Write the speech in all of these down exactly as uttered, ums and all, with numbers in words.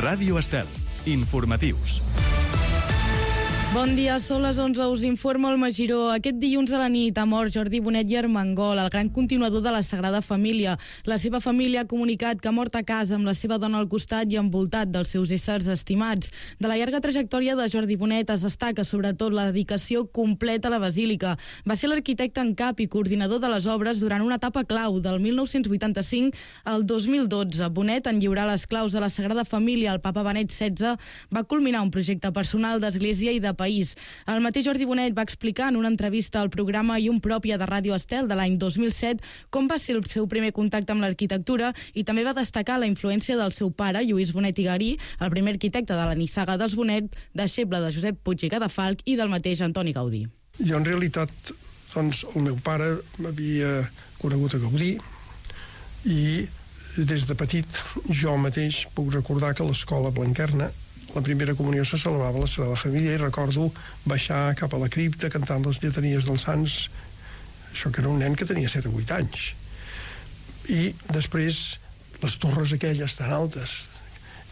Ràdio Estel. Informatius. Bon dia, són les onze, us informa el Magiró. Aquest dilluns a la nit ha mort Jordi Bonet i Armengol, el gran continuador de la Sagrada Família. La seva família ha comunicat que ha mort a casa amb la seva dona al costat i envoltat dels seus éssers estimats. De la llarga trajectòria de Jordi Bonet es destaca sobretot la dedicació completa a la basílica. Va ser l'arquitecte en cap i coordinador de les obres durant una etapa clau del mil nou-cents vuitanta-cinc al dos mil dotze. Bonet, en lliurar les claus de la Sagrada Família al papa Benet setze, va culminar un projecte personal d'església i de país. El mateix Jordi Bonet va explicar en una entrevista al programa I un Pròpia de Ràdio Estel de l'any dos mil set com va ser el seu primer contacte amb l'arquitectura i també va destacar la influència del seu pare, Lluís Bonet i Garí, el primer arquitecte de la nissaga dels Bonet, deixeble de Josep Puig i Cadafalch i del mateix Antoni Gaudí. Jo, en realitat, doncs, el meu pare m'havia conegut a Gaudí i des de petit jo mateix puc recordar que a l'escola Blanquerna la primera comunió se celebrava a la Sagrada Família i recordo baixar cap a la cripta cantant les lletanies dels sants, això que era un nen que tenia set o vuit anys. I després les torres aquelles tan altes,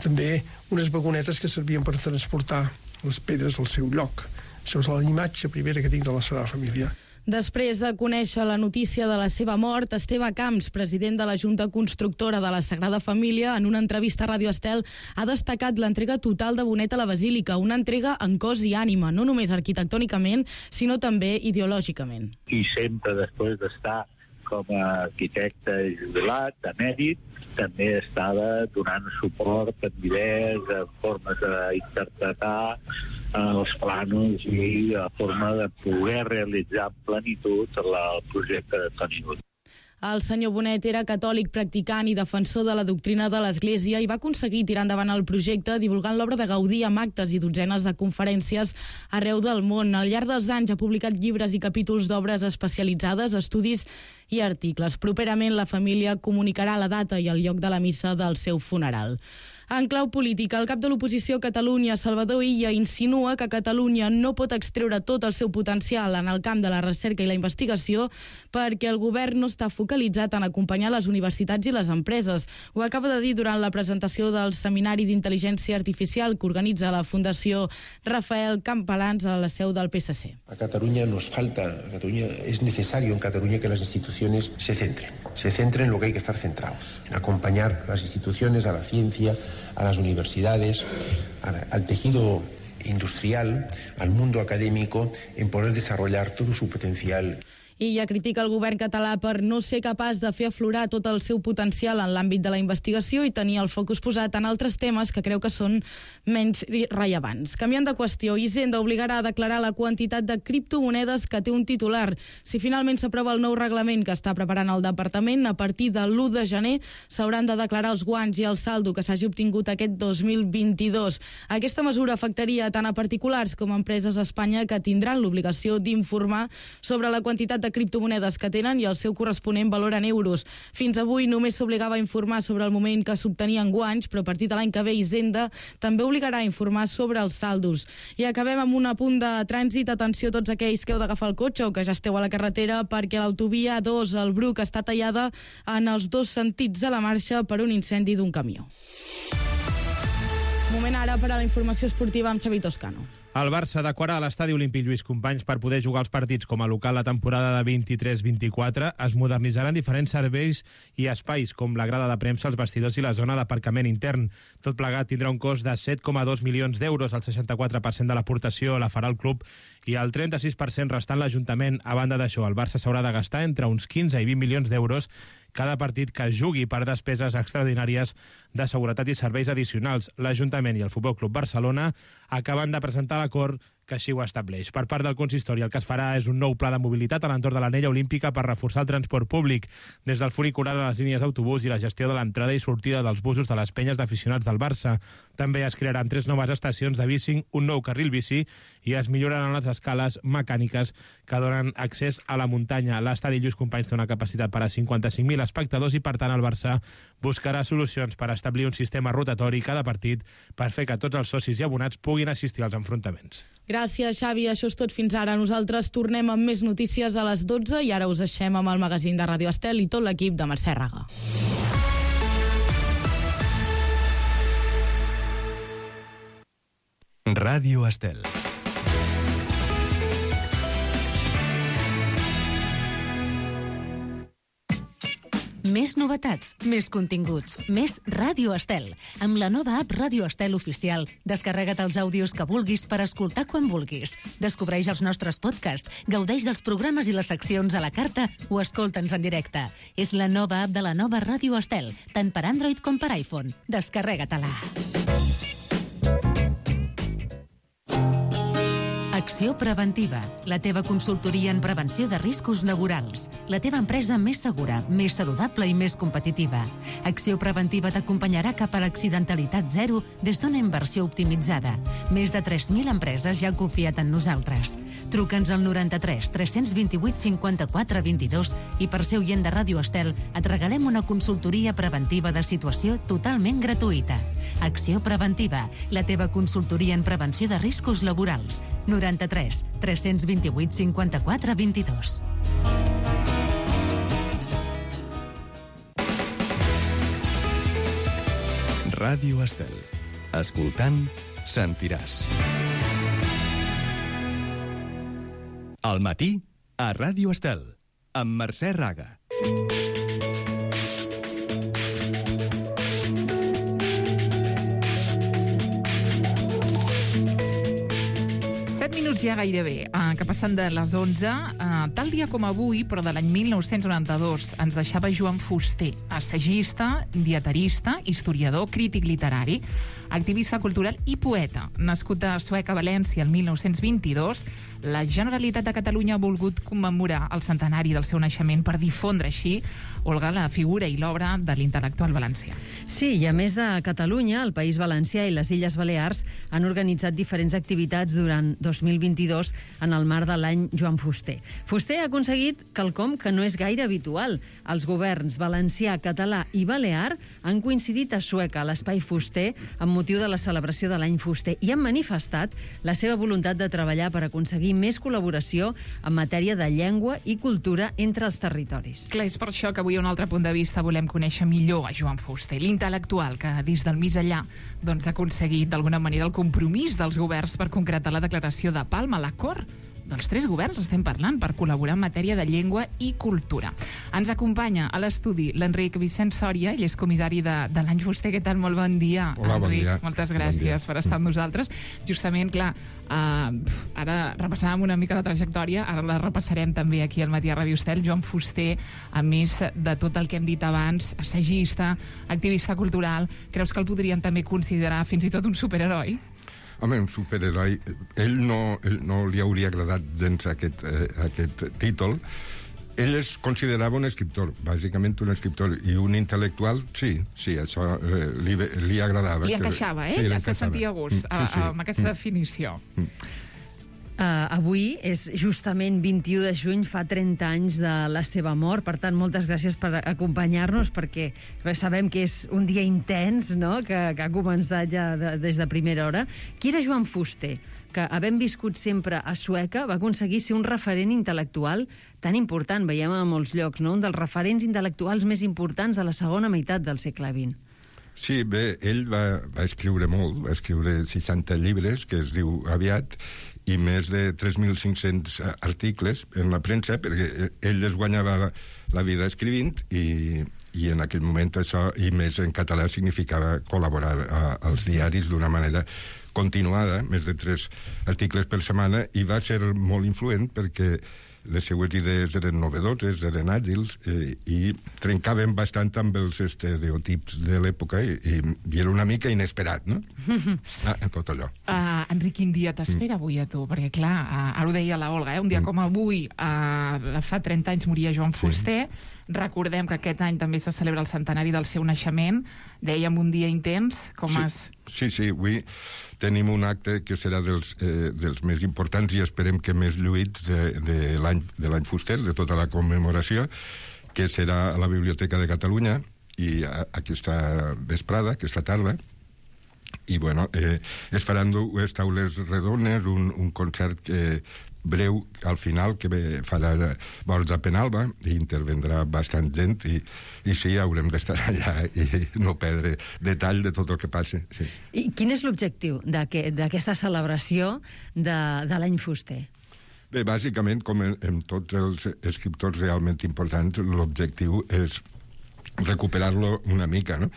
també unes vagonetes que servien per transportar les pedres al seu lloc. Això és la imatge primera que tinc de la Sagrada Família. Després de conèixer la notícia de la seva mort, Esteve Camps, president de la Junta Constructora de la Sagrada Família, en una entrevista a Ràdio Estel, ha destacat l'entrega total de Bonet a la Basílica, una entrega en cos i ànima, no només arquitectònicament, sinó també ideològicament. I sempre després d'estar com a arquitecte jubilat, de mèrit, també estava donant suport en idees, en formes d'interpretar els plànols i la forma de poder realitzar en plenitud el projecte de Toni Gaudí. El senyor Bonet era catòlic practicant i defensor de la doctrina de l'Església i va aconseguir tirar endavant el projecte divulgant l'obra de Gaudí amb actes i dotzenes de conferències arreu del món. Al llarg dels anys ha publicat llibres i capítols d'obres especialitzades, estudis i articles. Properament la família comunicarà la data i el lloc de la missa del seu funeral. En clau política, el cap de l'oposició a Catalunya, Salvador Illa, insinua que Catalunya no pot extreure tot el seu potencial en el camp de la recerca i la investigació perquè el govern no està focalitzat en acompanyar les universitats i les empreses. Ho acaba de dir durant la presentació del Seminari d'Intel·ligència Artificial que organitza la Fundació Rafael Campalans a la seu del P S C. A Cataluña nos falta, a Cataluña es necesario en Cataluña que las instituciones se centren, se centren en lo que hay que estar centrados, en acompañar a las instituciones, a la ciencia, a las universidades, al tejido industrial, al mundo académico, en poder desarrollar todo su potencial. I ja critica el govern català per no ser capaç de fer aflorar tot el seu potencial en l'àmbit de la investigació i tenir el focus posat en altres temes que creu que són menys rellevants. Canviant de qüestió, Hisenda obligarà a declarar la quantitat de criptomonedes que té un titular. Si finalment s'aprova el nou reglament que està preparant el departament, a partir de l'u de gener s'hauran de declarar els guanys i el saldo que s'hagi obtingut aquest dos mil vint-i-dos. Aquesta mesura afectaria tant a particulars com a empreses a Espanya que tindran l'obligació d'informar sobre la quantitat de criptomonedes que tenen i el seu corresponent valor en euros. Fins avui només s'obligava a informar sobre el moment que s'obtenien guanys, però a partir de l'any que ve Hisenda també obligarà a informar sobre els saldos. I acabem amb un apunt de trànsit. Atenció a tots aquells que heu d'agafar el cotxe o que ja esteu a la carretera perquè l'autovia A dos al Bruc està tallada en els dos sentits de la marxa per un incendi d'un camió. Moment ara per a la informació esportiva amb Xavi Toscano. El Barça adequarà l'estadi olímpic Lluís Companys per poder jugar els partits com a local la temporada de vint-i-tres vint-i-quatre. Es modernitzaran diferents serveis i espais, com la grada de premsa, els vestidors i la zona d'aparcament intern. Tot plegat tindrà un cost de set coma dos milions d'euros. El seixanta-quatre per cent de l'aportació la farà el club i el trenta-sis per cent restant l'Ajuntament. A banda d'això, el Barça s'haurà de gastar entre uns quinze i vint milions d'euros cada partit que jugui per despeses extraordinàries de seguretat i serveis addicionals. L'Ajuntament i el Futbol Club Barcelona acaben de presentar l'acord que així ho estableix. Per part del consistori, el que es farà és un nou pla de mobilitat a l'entorn de l'anella olímpica per reforçar el transport públic, des del funicular a les línies d'autobús i la gestió de l'entrada i sortida dels busos de les penyes d'aficionats del Barça. També es crearan tres noves estacions de bicing, un nou carril bici i es milloraran les escales mecàniques que donen accés a la muntanya. L'estadi Lluís Companys té una capacitat per a cinquanta-cinc mil espectadors i, per tant, el Barça buscarà solucions per establir un sistema rotatori cada partit per fer que tots els socis i abonats puguin assistir als enfrontaments. Gràcies, Xavi. Això és tot fins ara. Nosaltres tornem amb més notícies a les dotze i ara us deixem amb el magazín de Ràdio Estel i tot l'equip de Mercè Raga. Ràdio Estel. Més novetats, més continguts, més Ràdio Estel. Amb la nova app Ràdio Estel Oficial, descarrega't els àudios que vulguis per escoltar quan vulguis. Descobreix els nostres podcasts, gaudeix dels programes i les seccions a la carta o escolta'ns en directe. És la nova app de la nova Ràdio Estel, tant per Android com per iPhone. Descarrega-te-la. Acció Preventiva, la teva consultoria en prevenció de riscos laborals. La teva empresa més segura, més saludable i més competitiva. Acció Preventiva t'acompanyarà cap a l'accidentalitat zero des d'una inversió optimitzada. Més de tres mil empreses ja han confiat en nosaltres. Truca'ns al noranta-tres tres cents vint-i-vuit cinquanta-quatre vint-i-dos i per ser oient de Ràdio Estel et regalem una consultoria preventiva de situació totalment gratuïta. Acció Preventiva, la teva consultoria en prevenció de riscos laborals. noranta-tres tres cents vint-i-vuit cinquanta-quatre vint-i-dos. Ràdio Estel. Escoltant, sentiràs. Al matí, a Ràdio Estel, amb Mercè Raga. set minuts ja gairebé, eh, que passen de les onze. Eh, tal dia com avui, però de l'any mil nou-cents noranta-dos, ens deixava Joan Fuster, assagista, dietarista, historiador, crític literari, activista cultural i poeta. Nascut a Sueca, València, el mil nou-cents vint-i-dos, la Generalitat de Catalunya ha volgut commemorar el centenari del seu naixement per difondre així, Olga, la figura i l'obra de l'intel·lectual valencià. Sí, i a més de Catalunya, el País Valencià i les Illes Balears han organitzat diferents activitats durant dos mil vint-i-dos en el marc de l'any Joan Fuster. Fuster ha aconseguit quelcom que no és gaire habitual. Els governs valencià, català i balear han coincidit a Sueca, a l'Espai Fuster, amb motiu de la celebració de l'any Fuster, i han manifestat la seva voluntat de treballar per aconseguir més col·laboració en matèria de llengua i cultura entre els territoris. Clar, és per això que avui a un altre punt de vista volem conèixer millor a Joan Fuster, l'intel·lectual que des del més enllà doncs, ha aconseguit d'alguna manera el compromís dels governs per concretar la declaració de Palma, l'acord dels tres governs estem parlant per col·laborar en matèria de llengua i cultura. Ens acompanya a l'estudi l'Enric Vicent Sòria, ell és comissari de, de l'any Fuster. Què tal? Molt bon dia, Hola, Enric. Bon dia. Moltes gràcies bon per estar amb nosaltres. Justament, clar, uh, ara repassàvem una mica la trajectòria, ara la repassarem també aquí al matí a Ràdio Estel. Joan Fuster, a més de tot el que hem dit abans, assagista, activista cultural, creus que el podríem també considerar fins i tot un superheroi? Home, un superheroi. Ell no, ell no li hauria agradat gens aquest, eh, aquest títol. Ell es considerava un escriptor, bàsicament un escriptor, i un intel·lectual, sí, sí, això eh, li, li agradava. Li encaixava, eh? Sí, ja se sentia a gust sí, sí. amb aquesta mm. definició. Mm. Uh, avui és justament vint-i-u de juny, fa trenta anys de la seva mort. Per tant, moltes gràcies per acompanyar-nos, perquè sabem que és un dia intens, no?, que, que ha començat ja de, des de primera hora. Qui era Joan Fuster, que, havent viscut sempre a Sueca, va aconseguir ser un referent intel·lectual tan important, veiem a molts llocs, no?, un dels referents intel·lectuals més importants de la segona meitat del segle vint. Sí, bé, ell va, va escriure molt, va escriure seixanta llibres, que es diu aviat, i més de tres mil cinc-cents articles en la premsa, perquè ell es guanyava la, la vida escrivint, i, i en aquell moment això, i més en català, significava col·laborar a, als diaris d'una manera continuada, més de tres articles per setmana, i va ser molt influent perquè les seues idees eren novedoses, eren àgils, eh, i trencaven bastant amb els estereotips de l'època, i, i, i era una mica inesperat, no? ah, tot allò. Uh, Enric, quin dia t'espera avui a tu? Perquè, clar, uh, ara ho deia la Olga, eh? un dia mm. com avui, uh, fa trenta anys moria Joan Fuster, sí. Recordem que aquest any també se celebra el centenari del seu naixement, dèiem un dia intens, com sí. es... Sí, sí, avui tenim un acte que serà dels, eh, dels més importants i esperem que més lluïts de, de l'any Fuster, de tota la commemoració, que serà a la Biblioteca de Catalunya i a, aquesta vesprada, aquesta tarda, i bueno, eh, es faran dues taules redones, un, un concert que, breu, al final, que farà Borja Penalba, i intervendrà bastant gent, i, i sí, haurem d'estar allà i no perdre detall de tot el que passa. Sí. I quin és l'objectiu d'aquesta celebració de, de l'any fuster? Bé, bàsicament, com en, en tots els escriptors realment importants, l'objectiu és recuperar-lo una mica, no?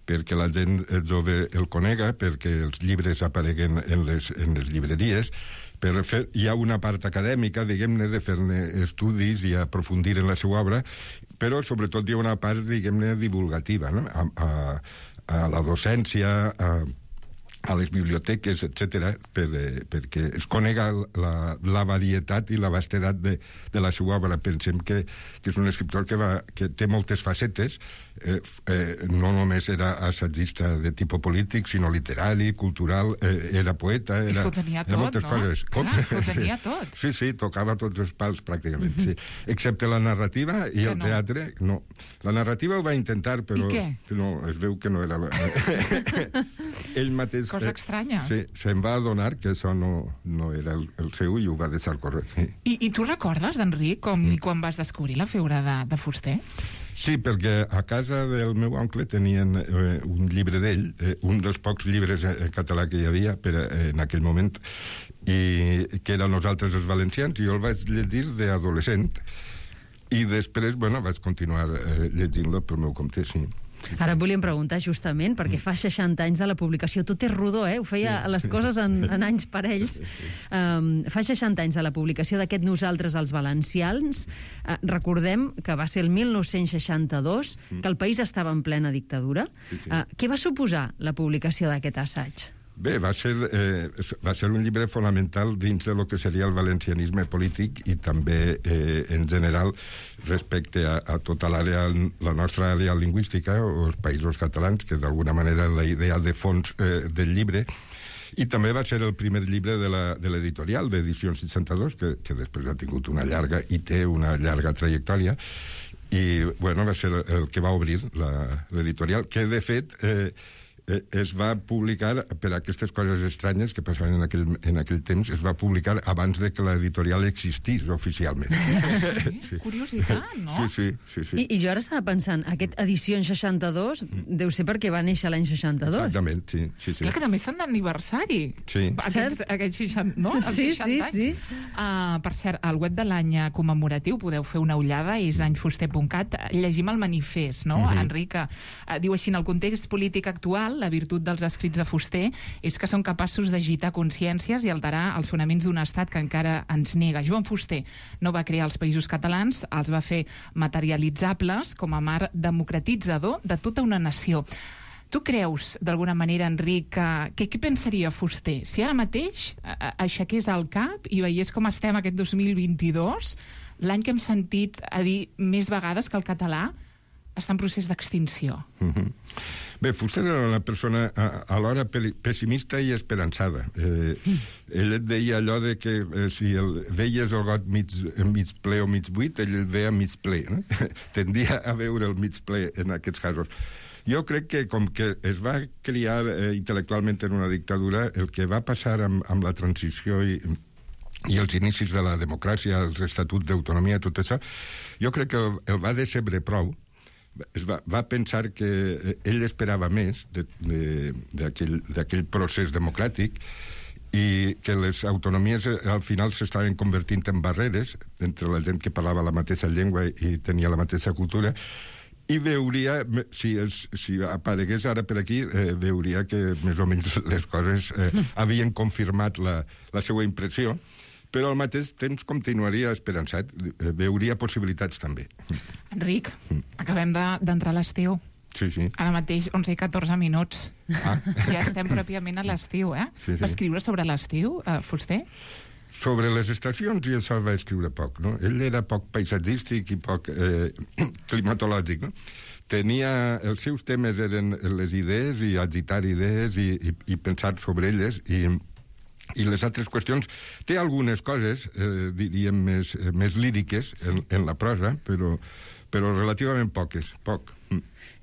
Perquè la gent jove el conega, perquè els llibres apareguen en les, en les llibreries, per fer, hi ha una part acadèmica, diguem-ne, de fer-ne estudis i aprofundir en la seva obra, però sobretot hi ha una part, diguem-ne, divulgativa, no? A, a, a la docència, a, a les biblioteques, etcètera, per, eh, perquè es conega la, la varietat i la vastedat de, de la seva obra. Pensem que, que és un escriptor que, va, que té moltes facetes, eh, eh, no només era assagista de tipus polític, sinó literari, cultural, eh, era poeta... Era, és que ho tenia tot, moltes no? Coses. Com? Clar, ho tenia sí. tot. Sí, sí, tocava tots els pals, pràcticament, sí. Excepte la narrativa i que el no. teatre, no. La narrativa ho va intentar, però... I què? No, es veu que no era... Ell mateix... Cosa estranya. Sí, se'n va adonar que això no, no era el, el seu i ho va deixar córrer, sí. I, I tu recordes, Enric, com mm. i quan vas descobrir la figura de, de Fuster? Sí, perquè a casa del meu oncle tenien eh, un llibre d'ell, eh, un dels pocs llibres en català que hi havia per, eh, en aquell moment, i que era Nosaltres els valencians, i jo el vaig llegir d'adolescent, i després, bueno, vaig continuar eh, llegint-lo pel meu compte, sí. Ara et volíem preguntar justament, perquè fa seixanta anys de la publicació, tot és rodó, eh? Ho feia sí. les coses en, en anys parells. Um, fa seixanta anys de la publicació d'aquest Nosaltres els valencians. Uh, recordem que va ser el mil nou-cents seixanta-dos, que el país estava en plena dictadura. Sí, sí. Uh, què va suposar la publicació d'aquest assaig? Bé, va ser, eh, va ser un llibre fonamental dins de lo que seria el valencianisme polític i també, eh, en general, respecte a, a tota l'àrea, la nostra àrea lingüística, o els països catalans, que d'alguna manera la idea de fons eh, del llibre. I també va ser el primer llibre de l'editorial, d'Edicions seixanta-dos, que, que després ha tingut una llarga, i té una llarga trajectòria, i, bueno, va ser el que va obrir l'editorial, que, de fet... Eh, es va publicar, per aquestes coses estranyes que passaven en aquell, en aquell temps, es va publicar abans de que l'editorial existís oficialment. Sí, sí. Curiositat, no? Sí, sí. sí, sí. I, I jo ara estava pensant, aquest edició en seixanta-dos deu ser perquè va néixer l'any seixanta-dos. Exactament, sí. sí, sí. Clar que també estan d'aniversari. Sí. Aquests, aquests seixanta, no? Els sí, seixanta sí, anys. sí. Uh, per cert, al web de l'any commemoratiu podeu fer una ullada, és anyfuster punt cat. Llegim el manifest, no, uh-huh. Enric? Uh, diu així, en el context polític actual, la virtut dels escrits de Fuster és que són capaços d'agitar consciències i alterar els fonaments d'un estat que encara ens nega. Joan Fuster no va crear els països catalans, els va fer materialitzables com a mar democratitzador de tota una nació. Tu creus, d'alguna manera, Enric, que, que què pensaria Fuster si ara mateix aixequés el cap i veiés com estem aquest dos mil vint-i-dos, l'any que hem sentit a dir més vegades que el català està en procés d'extinció? Mm-hmm. Bé, Fuster era una persona alhora pessimista i esperançada. Eh, ell et deia allò de que eh, si el, veies el got mig, mig ple o mig buit, ell el veia mig ple. No? Tendia a veure el mig ple en aquests casos. Jo crec que com que es va criar eh, intel·lectualment en una dictadura, el que va passar amb, amb la transició i i els inicis de la democràcia, els estatuts d'autonomia, tot això, jo crec que el, el va decebre prou. Es va, va pensar que ell esperava més d'aquell procés democràtic i que les autonomies al final s'estaven convertint en barreres entre la gent que parlava la mateixa llengua i tenia la mateixa cultura, i veuria, si, es, si aparegués ara per aquí, eh, veuria que més o menys les coses eh, havien confirmat la, la seva impressió, però al mateix temps continuaria esperançat, veuria possibilitats també. Enric, acabem d'entrar a l'estiu. Sí, sí. Ara mateix, onze i catorze minuts. Ah. Ja estem pròpiament a l'estiu, eh? Sí, sí. Va escriure sobre l'estiu, eh, Fuster? Sobre les estacions, i això va escriure poc, no? Ell era poc paisatgístic i poc eh, climatològic, no? Tenia... Els seus temes eren les idees i agitar idees i, i, i pensar sobre elles, i... I les altres qüestions, té algunes coses, eh, diríem, més, eh, més líriques en, en la prosa, però, però relativament poques, poc.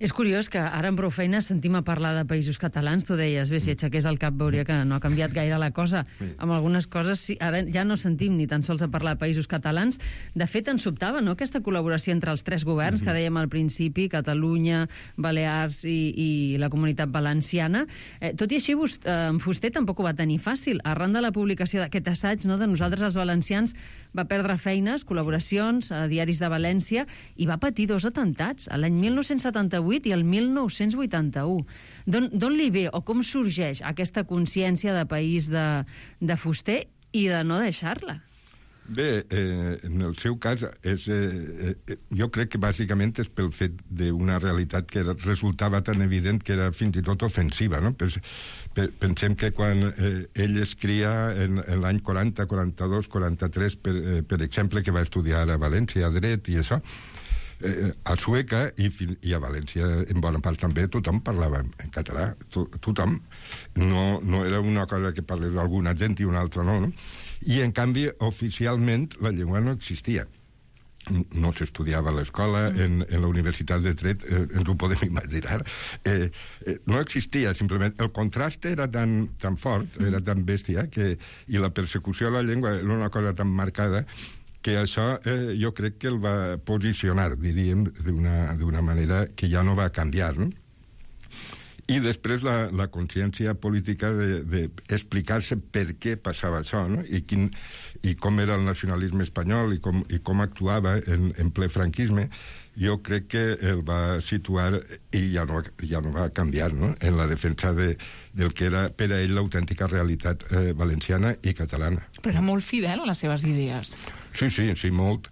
És curiós que ara amb prou feines sentim a parlar de països catalans. Tu deies, bé, si aixequés el cap veuria que no ha canviat gaire la cosa. Amb algunes coses sí, ara ja no sentim ni tan sols a parlar de països catalans. De fet, ens sobtava, no?, aquesta col·laboració entre els tres governs, que dèiem al principi, Catalunya, Balears i, i la Comunitat Valenciana. Eh, tot i així, eh, en Fuster tampoc ho va tenir fàcil. Arran de la publicació d'aquest assaig, no?, de Nosaltres els valencians, va perdre feines, col·laboracions a diaris de València i va patir dos atemptats, a l'any mil nou-cents setanta-vuit i el mil nou-cents vuitanta-u. D'on li ve o com sorgeix aquesta consciència de país de, de Fuster i de no deixar-la? Bé, eh, en el seu cas, és, eh, eh, jo crec que bàsicament és pel fet d'una realitat que era, resultava tan evident que era fins i tot ofensiva, no? Pens, pensem que quan eh, ell escria en, en l'any quaranta, quaranta-dos, quaranta-tres, per, eh, per exemple, que va estudiar a València, a dret i això, eh, a Sueca i, i a València, en bona part també, tothom parlava en català, to, tothom. No, no era una cosa que parlés alguna gent i una altra no, no? I, en canvi, oficialment, la llengua no existia. No s'estudiava a l'escola, mm. en, en la Universitat de Dret, eh, ens ho podem imaginar. Eh, eh, no existia, simplement. El contrast era tan, tan fort, mm. era tan bèstia, que, i la persecució a la llengua era una cosa tan marcada que això eh, jo crec que el va posicionar, diríem, d'una manera que ja no va canviar, no? I després la, la consciència política d'explicar-se de, per què passava això, no? I, quin, i com era el nacionalisme espanyol i com, i com actuava en, en ple franquisme, jo crec que el va situar i ja no, ja no va canviar, no?, en la defensa de, del que era per a ell l'autèntica realitat eh, valenciana i catalana. Però era molt fidel a les seves idees. Sí, sí, sí, molt.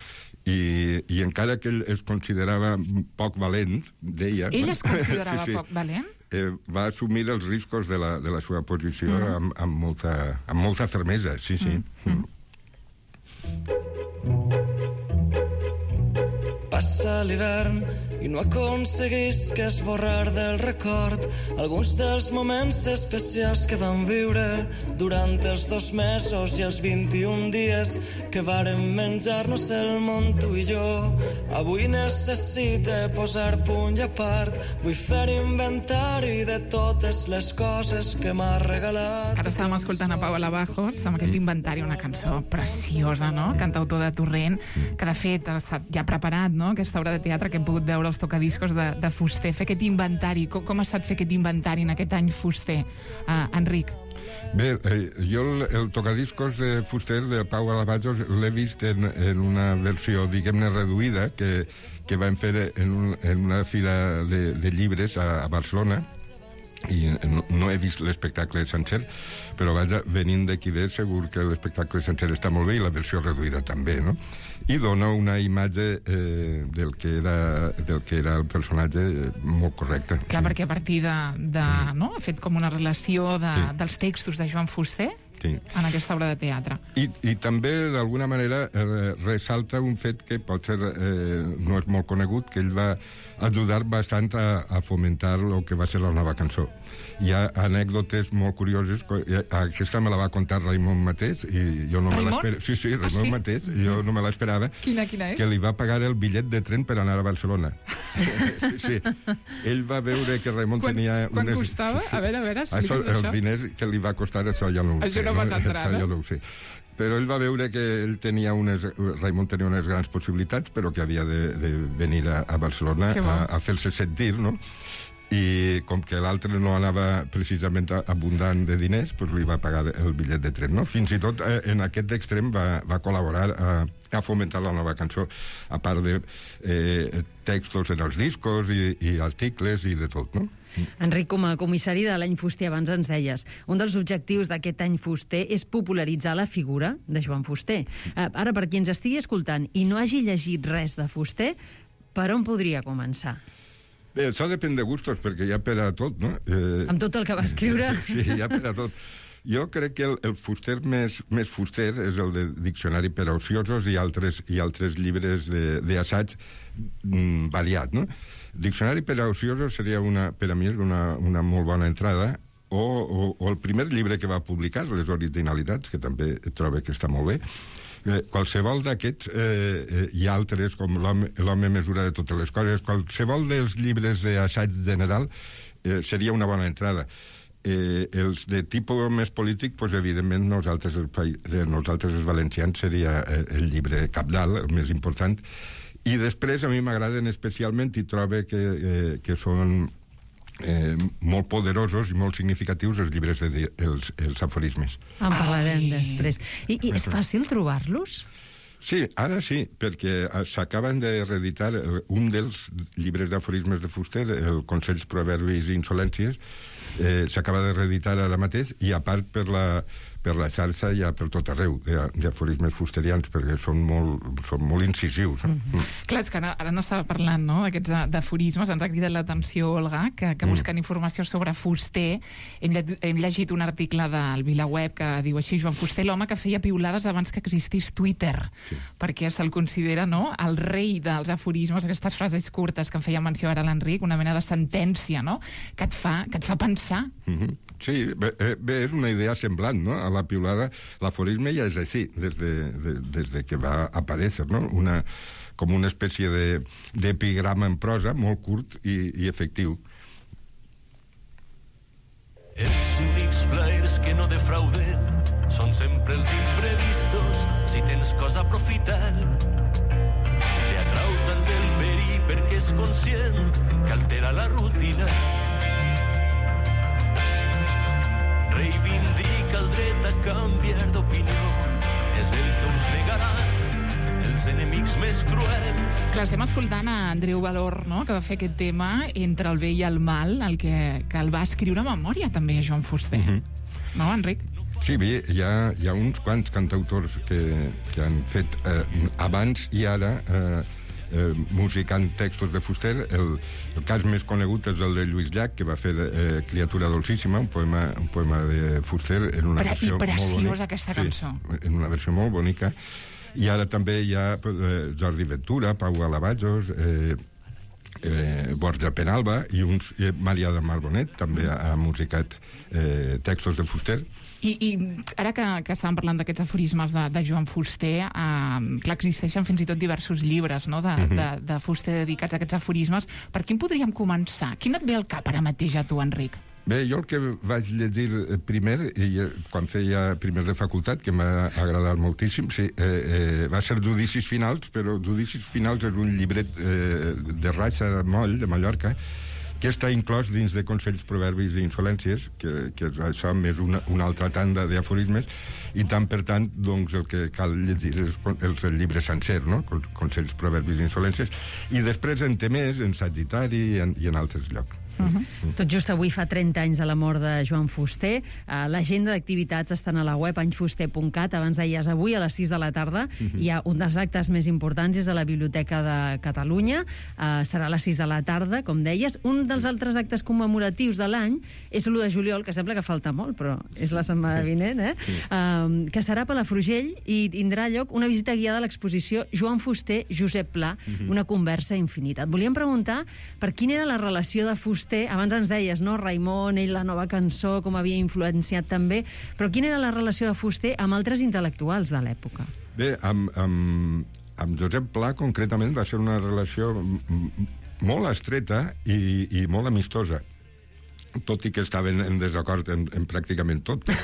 I, i encara que ell es considerava poc valent, deia... Ell es considerava sí, sí. poc valent? Eh, va assumir els riscos de la, de la seva posició mm. amb, amb, molta, amb molta fermesa, sí, sí. Mm. Mm. Passa l'hivern i no aconseguís que esborrar del record alguns dels moments especials que vam viure durant els dos mesos i els vint-i-un dies que vàrem menjar-nos el món tu i jo. Avui necessite posar punt i a part, vull fer inventari de totes les coses que m'ha regalat. Ara estàvem escoltant a Pau Alabajos amb aquest inventari, una cançó preciosa, no?, cantautor de Torrent, que de fet ha estat ja preparat, no?, aquesta obra de teatre que hem pogut veure els tocadiscos de, de Fuster, fer aquest inventari. Com, com ha estat fer aquest inventari en aquest any Fuster, uh, Enric? Bé, eh, jo el, el tocadiscos de Fuster, de Pau Alabajos, l'he vist en, en una versió, diguem-ne, reduïda, que, que van fer en, un, en una fira de, de llibres a, a Barcelona, i no, no he vist l'espectacle sencer, però vaja, venint d'aquí de segur que l'espectacle sencer està molt bé i la versió reduïda també, no? I dona una imatge eh, del, que era, del que era el personatge eh, molt correcte. Clar, sí. Perquè a partir de... de mm. no? Ha fet com una relació de, sí. dels textos de Joan Fuster sí. en aquesta obra de teatre. I, i també, d'alguna manera, eh, ressalta un fet que potser eh, no és molt conegut, que ell va ajudar bastant a, a fomentar el que va ser la nova cançó. Hi ha anècdotes molt curioses. Aquesta me la va contar Raimon mateix i jo no me l'esperava. Sí, sí, Raimon ah, sí? mateix, jo no me l'esperava. Quina, quina és? Que li va pagar el bitllet de tren per anar a Barcelona. sí, sí. Ell va veure que Raimon quan, tenia... Quan unes... costava? A veure, a veure, explica'ns això. Els això. diners que li va costar, això ja no ho això sé. no vas no? entrar, no? Jo no ho sé. Però ell va veure que ell tenia unes... Raimon tenia unes grans possibilitats, però que havia de, de venir a, a Barcelona a, a fer-se sentir, no? I com que l'altre no anava precisament abundant de diners, doncs li va pagar el bitllet de tren, no? Fins i tot eh, en aquest extrem va, va col·laborar a, a fomentar la nova cançó, a part de eh, textos en els discos i, i articles i de tot, no? Enric, com a comissari de l'any Fuster, abans ens deies, un dels objectius d'aquest any Fuster és popularitzar la figura de Joan Fuster. Eh, ara, per qui ens estigui escoltant i no hagi llegit res de Fuster, per on podria començar? Bé, això depèn de gustos, perquè hi ha per a tot, no? Eh... Amb tot el que va escriure. Sí, hi ha per a tot. Jo crec que el, el Fuster més, més Fuster és el de Diccionari per a ociosos i altres, i altres llibres d'assaig mm, variat, no? Diccionari per a ociosos seria una, per a mi és una, una molt bona entrada, o, o, o el primer llibre que va publicar, Les originalitats, que també trobo que està molt bé, Eh, qualsevol d'aquests eh, eh, i altres, com l'home mesura de totes les coses, qualsevol dels llibres d'assaig general eh, seria una bona entrada. Eh, els de tipus més polític, pues, evidentment nosaltres els, eh, nosaltres els valencians seria eh, el llibre cabdal, el més important, i després a mi m'agraden especialment i trobo que, eh, que són eh, molt poderosos i molt significatius els llibres, de, els, els aforismes. En parlarem Ai. després. I, I és fàcil trobar-los? Sí, ara sí, perquè s'acaben de reeditar un dels llibres d'aforismes de Fuster, el Consells, Proverbis i Insolències, eh, s'acaba de reeditar ara mateix, i a part per la, per la xarxa hi ha per tot arreu d'aforismes fusterians, perquè són molt, són molt incisius. Mm -hmm. mm. Clar, és que ara, ara no estava parlant, no?, d'aquests d'aforismes. Ens ha cridat l'atenció, Olga, que, que buscant mm. informació sobre Fuster hem, lle hem llegit un article del VilaWeb que diu així: Joan Fuster, l'home que feia piulades abans que existís Twitter, sí. perquè se'l considera, no?, el rei dels aforismes, aquestes frases curtes que en feia menció ara l'Enric, una mena de sentència, no?, que et fa, que et fa pensar. Mm -hmm. Sí, bé, bé, és una idea semblant, no?, a la piulada. L'aforisme ja és així, des de, de, des de que va aparèixer, no?, una, com una espècie d'epigrama en prosa, molt curt i, i efectiu. Els únics plaers que no defrauden són sempre els imprevistos. Si tens cosa, aprofita'l. Te atrau tant el perill perquè és conscient que altera la rutina. Reivindica el dret a canviar d'opinió. És el que us negaran els enemics més cruels. Clar, estem escoltant a Andreu Valor, no?, que va fer aquest tema Entre el bé i el mal, el que, que el va escriure a memòria també a Joan Fuster. Mm-hmm. No, Enric? Sí, bé, hi ha, hi ha uns quants cantautors que, que han fet eh, abans i ara eh, eh, musicant textos de Fuster. El, el cas més conegut és el de Lluís Llach, que va fer eh, Criatura dolcíssima, un poema, un poema de Fuster en una Pre versió molt bonica. I preciosa aquesta cançó. Sí, en una versió molt bonica. I ara també hi ha eh, Jordi Ventura, Pau Alabajos, eh, eh, Borja Penalba i uns, eh, Maria de Marbonet també ha, ha musicat eh, textos de Fuster. I, i ara que, que estàvem parlant d'aquests aforismes de, de Joan Fuster, eh, clar, existeixen fins i tot diversos llibres, no?, de, mm-hmm. de, de Fuster dedicats a aquests aforismes. Per quin podríem començar? Quin et ve al cap ara mateix a tu, Enric? Bé, jo el que vaig llegir primer, i quan feia primer de facultat, que m'ha agradat moltíssim, sí, eh, eh, va ser Judicis Finals, però Judicis Finals és un llibret eh, de Raixa Moll, de Mallorca, que està inclòs dins de Consells, Proverbis i Insolències, que, que és això més una, una altra tanda d'aforismes, i tant per tant, doncs, el que cal llegir és el, el llibre sencer, no?, Consells, Proverbis i Insolències, i després en Temers, en Sagitari i en, i en altres llocs. Uh -huh. Tot just avui fa trenta anys de la mort de Joan Fuster. Uh, L'agenda d'activitats estan a la web anyfuster punt cat. Abans deies, avui a les sis de la tarda uh -huh. hi ha un dels actes més importants, és a la Biblioteca de Catalunya. Uh, serà a les sis de la tarda, com deies. Un dels altres actes commemoratius de l'any és l'u de juliol, que sembla que falta molt, però és la setmana vinent, eh? Uh, que serà a Palafrugell i tindrà lloc una visita guiada a l'exposició Joan Fuster, Josep Pla, uh -huh. una conversa infinita. Et volíem preguntar per quina era la relació de Fuster. Abans ens deies, no?, Raimon, ell, la nova cançó, com havia influenciat també, però quina era la relació de Fuster amb altres intel·lectuals de l'època? Bé, amb, amb, amb Josep Pla, concretament, va ser una relació molt estreta i, i molt amistosa, tot i que estaven en desacord en, en pràcticament tot. Però...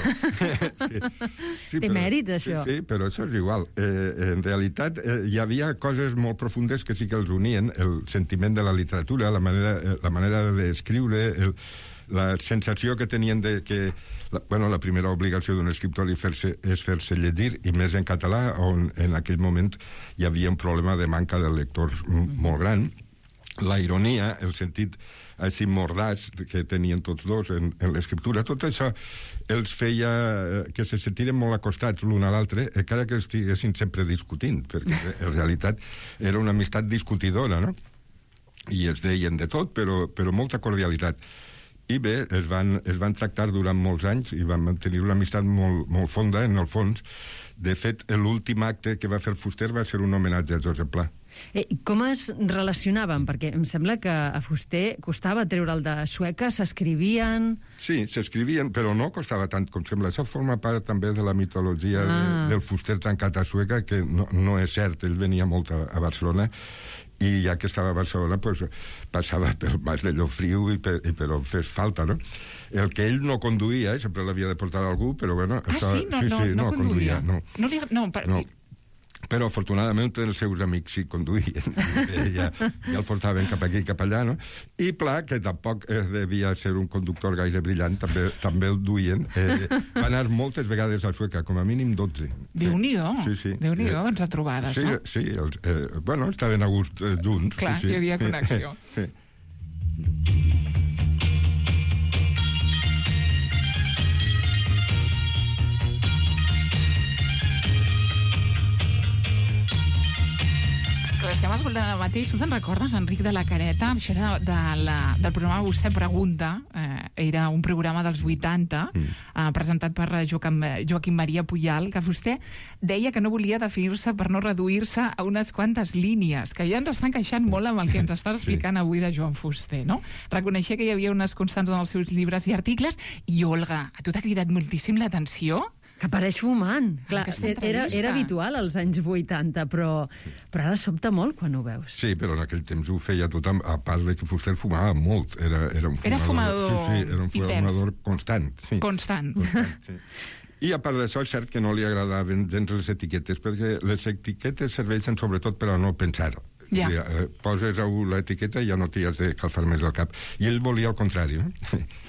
sí, Té però, mèrit, això. Sí, sí, però això és igual. Eh, en realitat, eh, hi havia coses molt profundes que sí que els unien, el sentiment de la literatura, la manera, la manera d'escriure, el, la sensació que tenien de que la, bueno, la primera obligació d'un escriptor és fer-se és fer-se llegir, i més en català, on en aquell moment hi havia un problema de manca de lectors molt gran. La ironia, el sentit així mordats que tenien tots dos en, en l'escriptura, tot això els feia que se sentiren molt acostats l'un a l'altre, encara que estiguessin sempre discutint, perquè en realitat era una amistat discutidora, no? I es deien de tot, però, però molta cordialitat. I bé, es van, es van tractar durant molts anys i van mantenir una amistat molt, molt fonda, en el fons. De fet, l'últim acte que va fer Fuster va ser un homenatge a Josep Pla. Eh, com es relacionaven? Perquè em sembla que a Fuster costava treure'l de Sueca, s'escrivien... Sí, s'escrivien, però no costava tant com sembla. Això forma part també de la mitologia ah. de, del Fuster tancat a Sueca, que no, no és cert, ell venia molt a, a Barcelona, i ja que estava a Barcelona pues, passava pel Mas de Llofriu i per, i per on fes falta, no? El que ell no conduïa, eh, sempre l'havia de portar algú, però bueno... Ah, estava, sí? No, sí, no, sí, no, no conduïa? No, no, li, no, per... no. Però afortunadament els seus amics sí conduïen, ja, ja el portaven cap aquí i cap allà, no? I Pla, que tampoc eh, devia ser un conductor gaire brillant, també, també el duien. Eh, va anar moltes vegades a Sueca, com a mínim dotze. Déu-n'hi-do, sí, sí. Déu-n'hi-do, doncs a trobades, sí, no? Sí, els, eh, bueno, estaven a gust eh, junts. Clar, sí, sí. Hi havia connexió. Sí. Estem escoltant ara mateix. Tu te'n recordes, Enric de la Careta? Això era de la, del programa Vostè Pregunta. Eh, era un programa dels vuitanta, mm. eh, presentat per Joaquim, Joaquim Maria Puyal, que Fuster deia que no volia definir-se per no reduir-se a unes quantes línies, que ja ens estan queixant molt amb el que ens estàs explicant sí. avui de Joan Fuster, no? Reconeixia que hi havia unes constants en els seus llibres i articles. I, Olga, a tu t'ha cridat moltíssim l'atenció? Que apareix fumant. Clar, era, era habitual als anys vuitanta, però, però ara sobta molt quan ho veus. Sí, però en aquell temps ho feia tothom, a part de que Fuster fumava molt. Era, era un fumador, era fumador sí, sí, era un fumador constant. Sí. Constant. constant sí. I a part d'això, és cert que no li agradaven gens les etiquetes, perquè les etiquetes serveixen sobretot per a no pensar. Ja. O sigui, poses l'etiqueta i ja no t'hi has de calfar més el cap. I ell volia el contrari. No?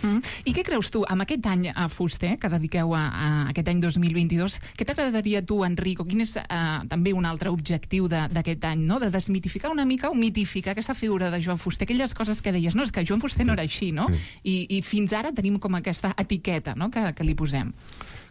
Mm. I què creus tu, amb aquest any a Fuster, que dediqueu a, a aquest any dos mil vint-i-dos, què t'agradaria tu, Enric, o quin és eh, també un altre objectiu d'aquest any, no? De desmitificar una mica o mitificar aquesta figura de Joan Fuster, aquelles coses que deies, no, és que Joan Fuster no era així, no? I, i fins ara tenim com aquesta etiqueta, no?, que, que li posem.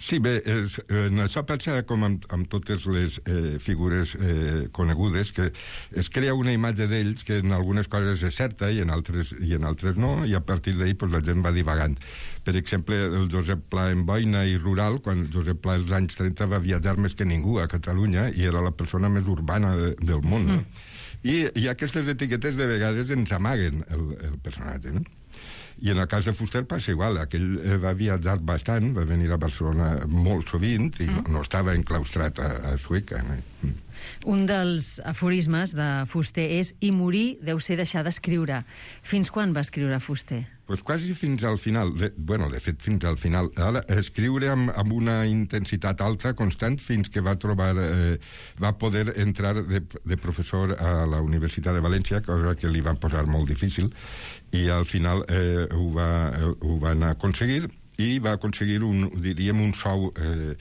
Sí, bé, és, en això passa com amb, amb totes les eh, figures eh, conegudes, que es crea una imatge d'ells que en algunes coses és certa i en altres, i en altres no, i a partir d'ahir pues, la gent va divagant. Per exemple, el Josep Pla en boina i rural, quan Josep Pla als anys trenta va viatjar més que ningú a Catalunya i era la persona més urbana de, del món. No? Mm. I, I aquestes etiquetes de vegades ens amaguen el, el personatge, no? I en el cas de Fuster passa igual. Aquell va viatjar bastant, va venir a Barcelona molt sovint i mm. no, no estava enclaustrat a, a Sueca. No? Mm. Un dels aforismes de Fuster és «I morir deu ser deixar d'escriure». Fins quan va escriure Fuster? Pues quasi fins al final. De, bueno, de fet, fins al final. Ara, escriure amb, amb una intensitat alta, constant, fins que va trobar... Eh, va poder entrar de, de professor a la Universitat de València, cosa que li va posar molt difícil, i al final eh, ho, va, eh, ho van aconseguir, i va aconseguir un, diríem, un sou... Eh,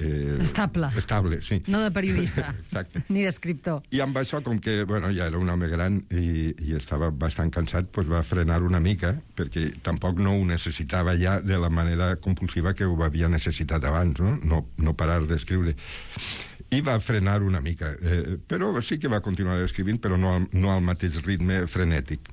Eh, estable. Estable, sí. No de periodista, ni d'escriptor. I amb això, com que bueno, ja era un home gran i, i estava bastant cansat, doncs va frenar una mica, perquè tampoc no ho necessitava ja de la manera compulsiva que ho havia necessitat abans, no, no, no parar d'escriure. I va frenar una mica, eh, però sí que va continuar escrivint, però no al, no al mateix ritme frenètic.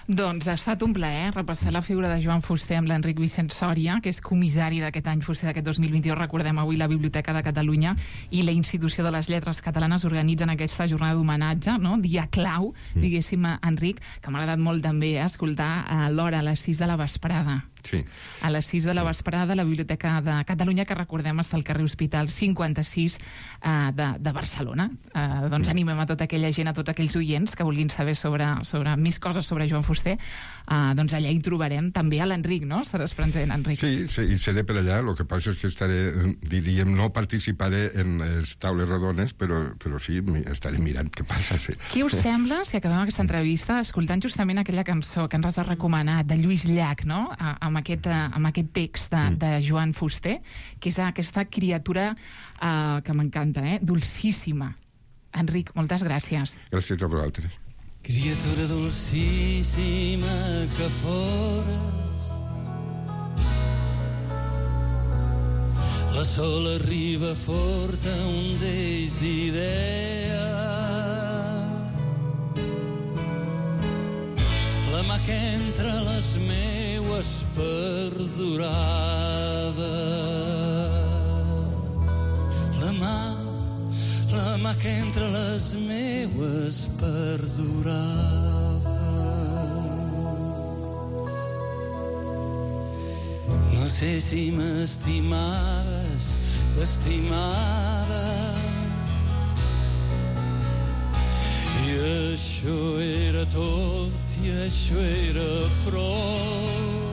Doncs ha estat un plaer repassar la figura de Joan Fuster amb l'Enric Vicent Sòria, que és comissari d'aquest any Fuster d'aquest dos mil vint-i-dos. Recordem, avui la Biblioteca de Catalunya i la Institució de les Lletres Catalanes organitzen aquesta jornada d'homenatge, no? Dia clau, diguéssim, Enric, que m'ha agradat molt també escoltar a l'hora, a les sis de la vesprada. Sí. A les sis de la vesprada a la Biblioteca de Catalunya, que recordem està al carrer Hospital cinquanta-sis eh, de, de Barcelona. Eh, doncs animem a tota aquella gent, a tots aquells oients que vulguin saber sobre, sobre més coses sobre Joan Fuster, eh, doncs allà hi trobarem també a l'Enric, no? Estaràs present, Enric. Sí, sí, i seré per allà. El que passa és que estaré, diríem, no participaré en les taules rodones, però, però sí, estaré mirant què passa. Sí. Què us sembla, si acabem aquesta entrevista, escoltant justament aquella cançó que ens has recomanat, de Lluís Llach, no?, a, amb aquest, amb aquest text de, de Joan Fuster, que és aquesta criatura uh, que m'encanta, eh? Dulcíssima. Enric, moltes gràcies. Gràcies a vosaltres. Criatura dulcíssima que fores, la sol arriba forta un deix d'idea, la mà que entre les meues perdurava, la mà, la l'ànima que entre les meues perdurava. No sé si m'estimaves, t'estimava, i això era tot, i això era prou.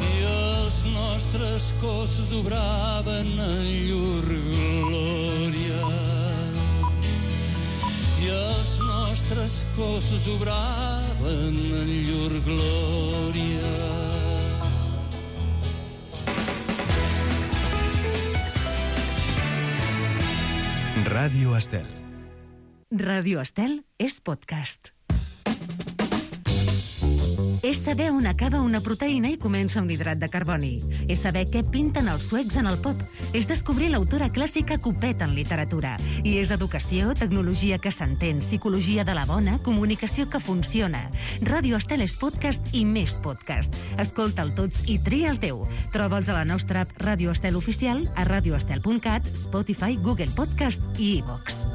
I els nostres cossos obraven en llur glòria. I els nostres cossos obraven en llur glòria. Ràdio Estel. Ràdio Estel és podcast. És saber on acaba una proteïna i comença un hidrat de carboni. És saber què pinten els suecs en el pop. És descobrir l'autora clàssica Copet en literatura. I és educació, tecnologia que s'entén, psicologia de la bona, comunicació que funciona. Ràdio Estel és podcast i més podcast. Escolta'l tots i tria el teu. Troba'ls a la nostra app Ràdio Estel Oficial, a radioestel punt cat, Spotify, Google Podcast i iVox.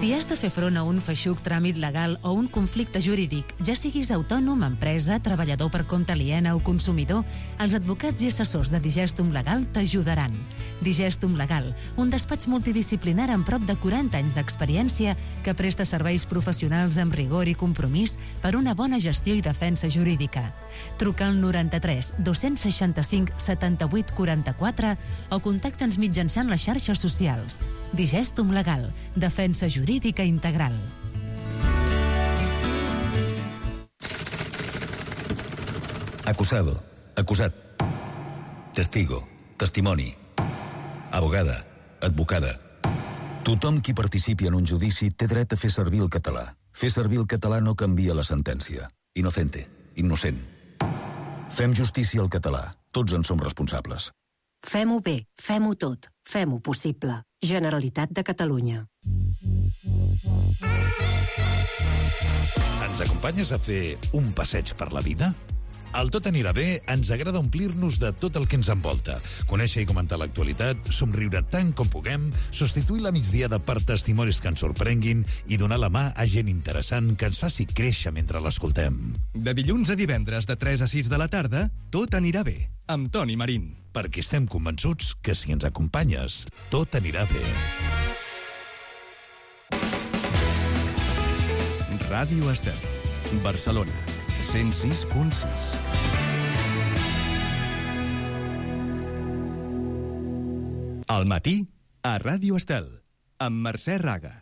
Si has de fer front a un feixuc tràmit legal o un conflicte jurídic, ja siguis autònom, empresa, treballador per compte aliena o consumidor, els advocats i assessors de Digestum Legal t'ajudaran. Digestum Legal, un despatx multidisciplinar amb prop de quaranta anys d'experiència que presta serveis professionals amb rigor i compromís per una bona gestió i defensa jurídica. Truca al noranta-tres dos-cents seixanta-cinc setanta-vuit quaranta-quatre o contacta'ns mitjançant les xarxes socials. Digestum Legal, defensa jurídica integral. Acusado, acusat. Testigo, testimoni. Abogada, advocada. Tothom qui participi en un judici té dret a fer servir el català. Fer servir el català no canvia la sentència. Inocente, innocent. Fem justícia al català. Tots en som responsables. Fem-ho bé, fem-ho tot, fem-ho possible. Generalitat de Catalunya. Ens acompanyes a fer un passeig per la vida? Al Tot anirà bé ens agrada omplir-nos de tot el que ens envolta, conèixer i comentar l'actualitat, somriure tant com puguem, substituir la migdiada per testimonis que ens sorprenguin i donar la mà a gent interessant que ens faci créixer mentre l'escoltem. De dilluns a divendres de tres a sis de la tarda, Tot anirà bé, amb Toni Marín. Perquè estem convençuts que si ens acompanyes, tot anirà bé. Ràdio Estel, Barcelona, cent sis punt sis. Al matí, a Ràdio Estel, amb Mercè Raga.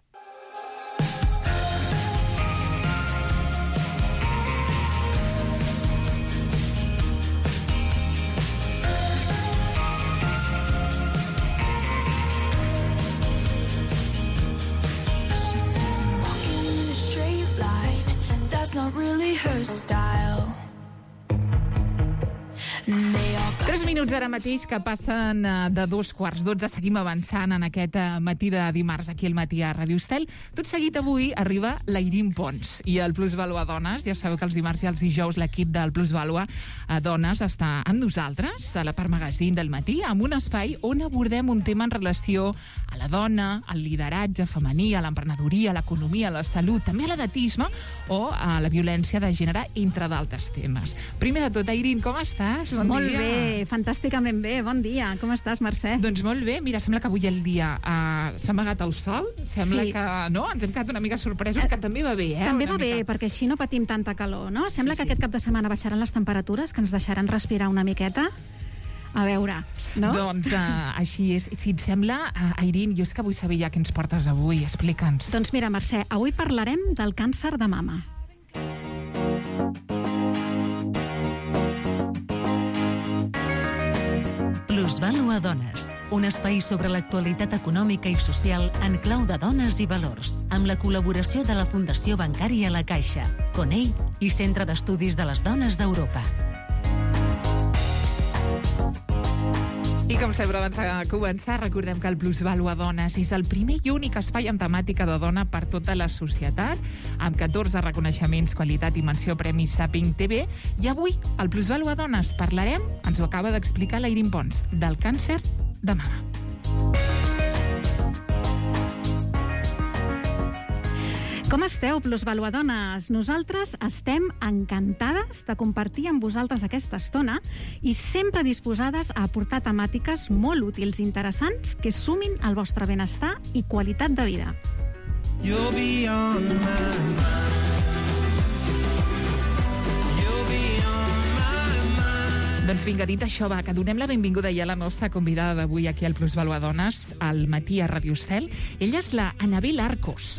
Not really her style. Tres minuts ara mateix que passen de dos quarts dotze. Seguim avançant en aquest matí de dimarts aquí al matí a Ràdio Estel. Tot seguit avui arriba l'Airín Pons i el Plusvalua Dones. Ja sabeu que els dimarts i els dijous l'equip del Plusvalua Dones està amb nosaltres a la part magazín del matí amb un espai on abordem un tema en relació a la dona, al lideratge femení, a l'emprenedoria, a l'economia, a la salut, també a l'edatisme o a la violència de gènere, entre d'altres temes. Primer de tot, Airín, com estàs? Bon molt dia. Bé, fantàsticament bé. Bon dia. Com estàs, Mercè? Doncs molt bé. Mira, sembla que avui el dia uh, s'ha amagat el sol. Sembla sí. que, no? Ens hem quedat una mica sorpresos, que també va bé, eh? També una va mica. bé, perquè així no patim tanta calor, no? Sembla Sí, que sí. aquest cap de setmana baixaran les temperatures, que ens deixaran respirar una miqueta. A veure, no? Doncs uh, així és. Si et sembla, uh, Airín, jo és que vull saber ja què ens portes avui. Explica'ns. Doncs mira, Mercè, avui parlarem del càncer de mama. Plusvalua Dones, un espai sobre l'actualitat econòmica i social en clau de dones i valors, amb la col·laboració de la Fundació Bancària La Caixa, Conell i Centre d'Estudis de les Dones d'Europa. I com sempre, abans de començar, recordem que el Plusvalua Dones és el primer i únic espai amb temàtica de dona per tota la societat, amb catorze reconeixements, qualitat i menció Premis Saping T V. I avui, al Plusvalua Dones, parlarem, ens ho acaba d'explicar l'Airin Pons, del càncer de mama. Com esteu, plusvaluadones? Nosaltres estem encantades de compartir amb vosaltres aquesta estona i sempre disposades a aportar temàtiques molt útils i interessants que sumin al vostre benestar i qualitat de vida. You'll be on my mind. Doncs vinga, dit això, va, que donem la benvinguda ja a la nostra convidada d'avui aquí al Plusvaluadones, al matí a Radio Estel. Ella és la Anabel Arcos.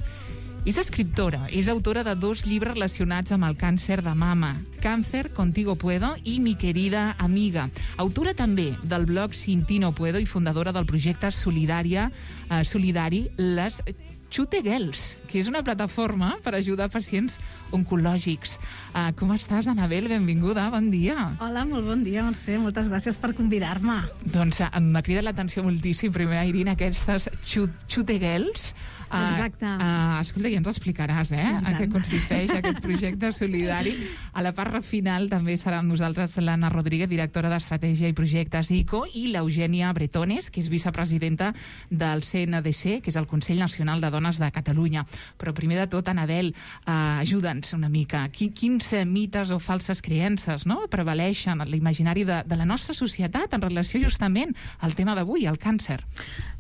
És escriptora, és autora de dos llibres relacionats amb el càncer de mama, Cáncer, Contigo Puedo i Mi querida amiga. Autora també del blog Sin ti no puedo i fundadora del projecte solidària, eh, solidari Les Chute Girls, que és una plataforma per ajudar pacients oncològics. Uh, com estàs, Anabel? Benvinguda, bon dia. Hola, molt bon dia, Mercè. Moltes gràcies per convidar-me. Doncs uh, m'ha cridat l'atenció moltíssim, primer, Airin, aquestes Chute Girls. Uh, Exacte. Uh, escolta, ja ens explicaràs, eh? Sí, en què consisteix aquest projecte solidari. A la part final també serà amb nosaltres l'Anna Rodríguez, directora d'Estratègia i Projectes I C O, i l'Eugènia Bretones, que és vicepresidenta del C N D C, que és el Consell Nacional de Dones de Catalunya. Però primer de tot, Anabel, uh, ajuda'ns una mica. Quins mites o falses creences, no?, prevaleixen en l'imaginari de, de la nostra societat en relació justament al tema d'avui, el càncer?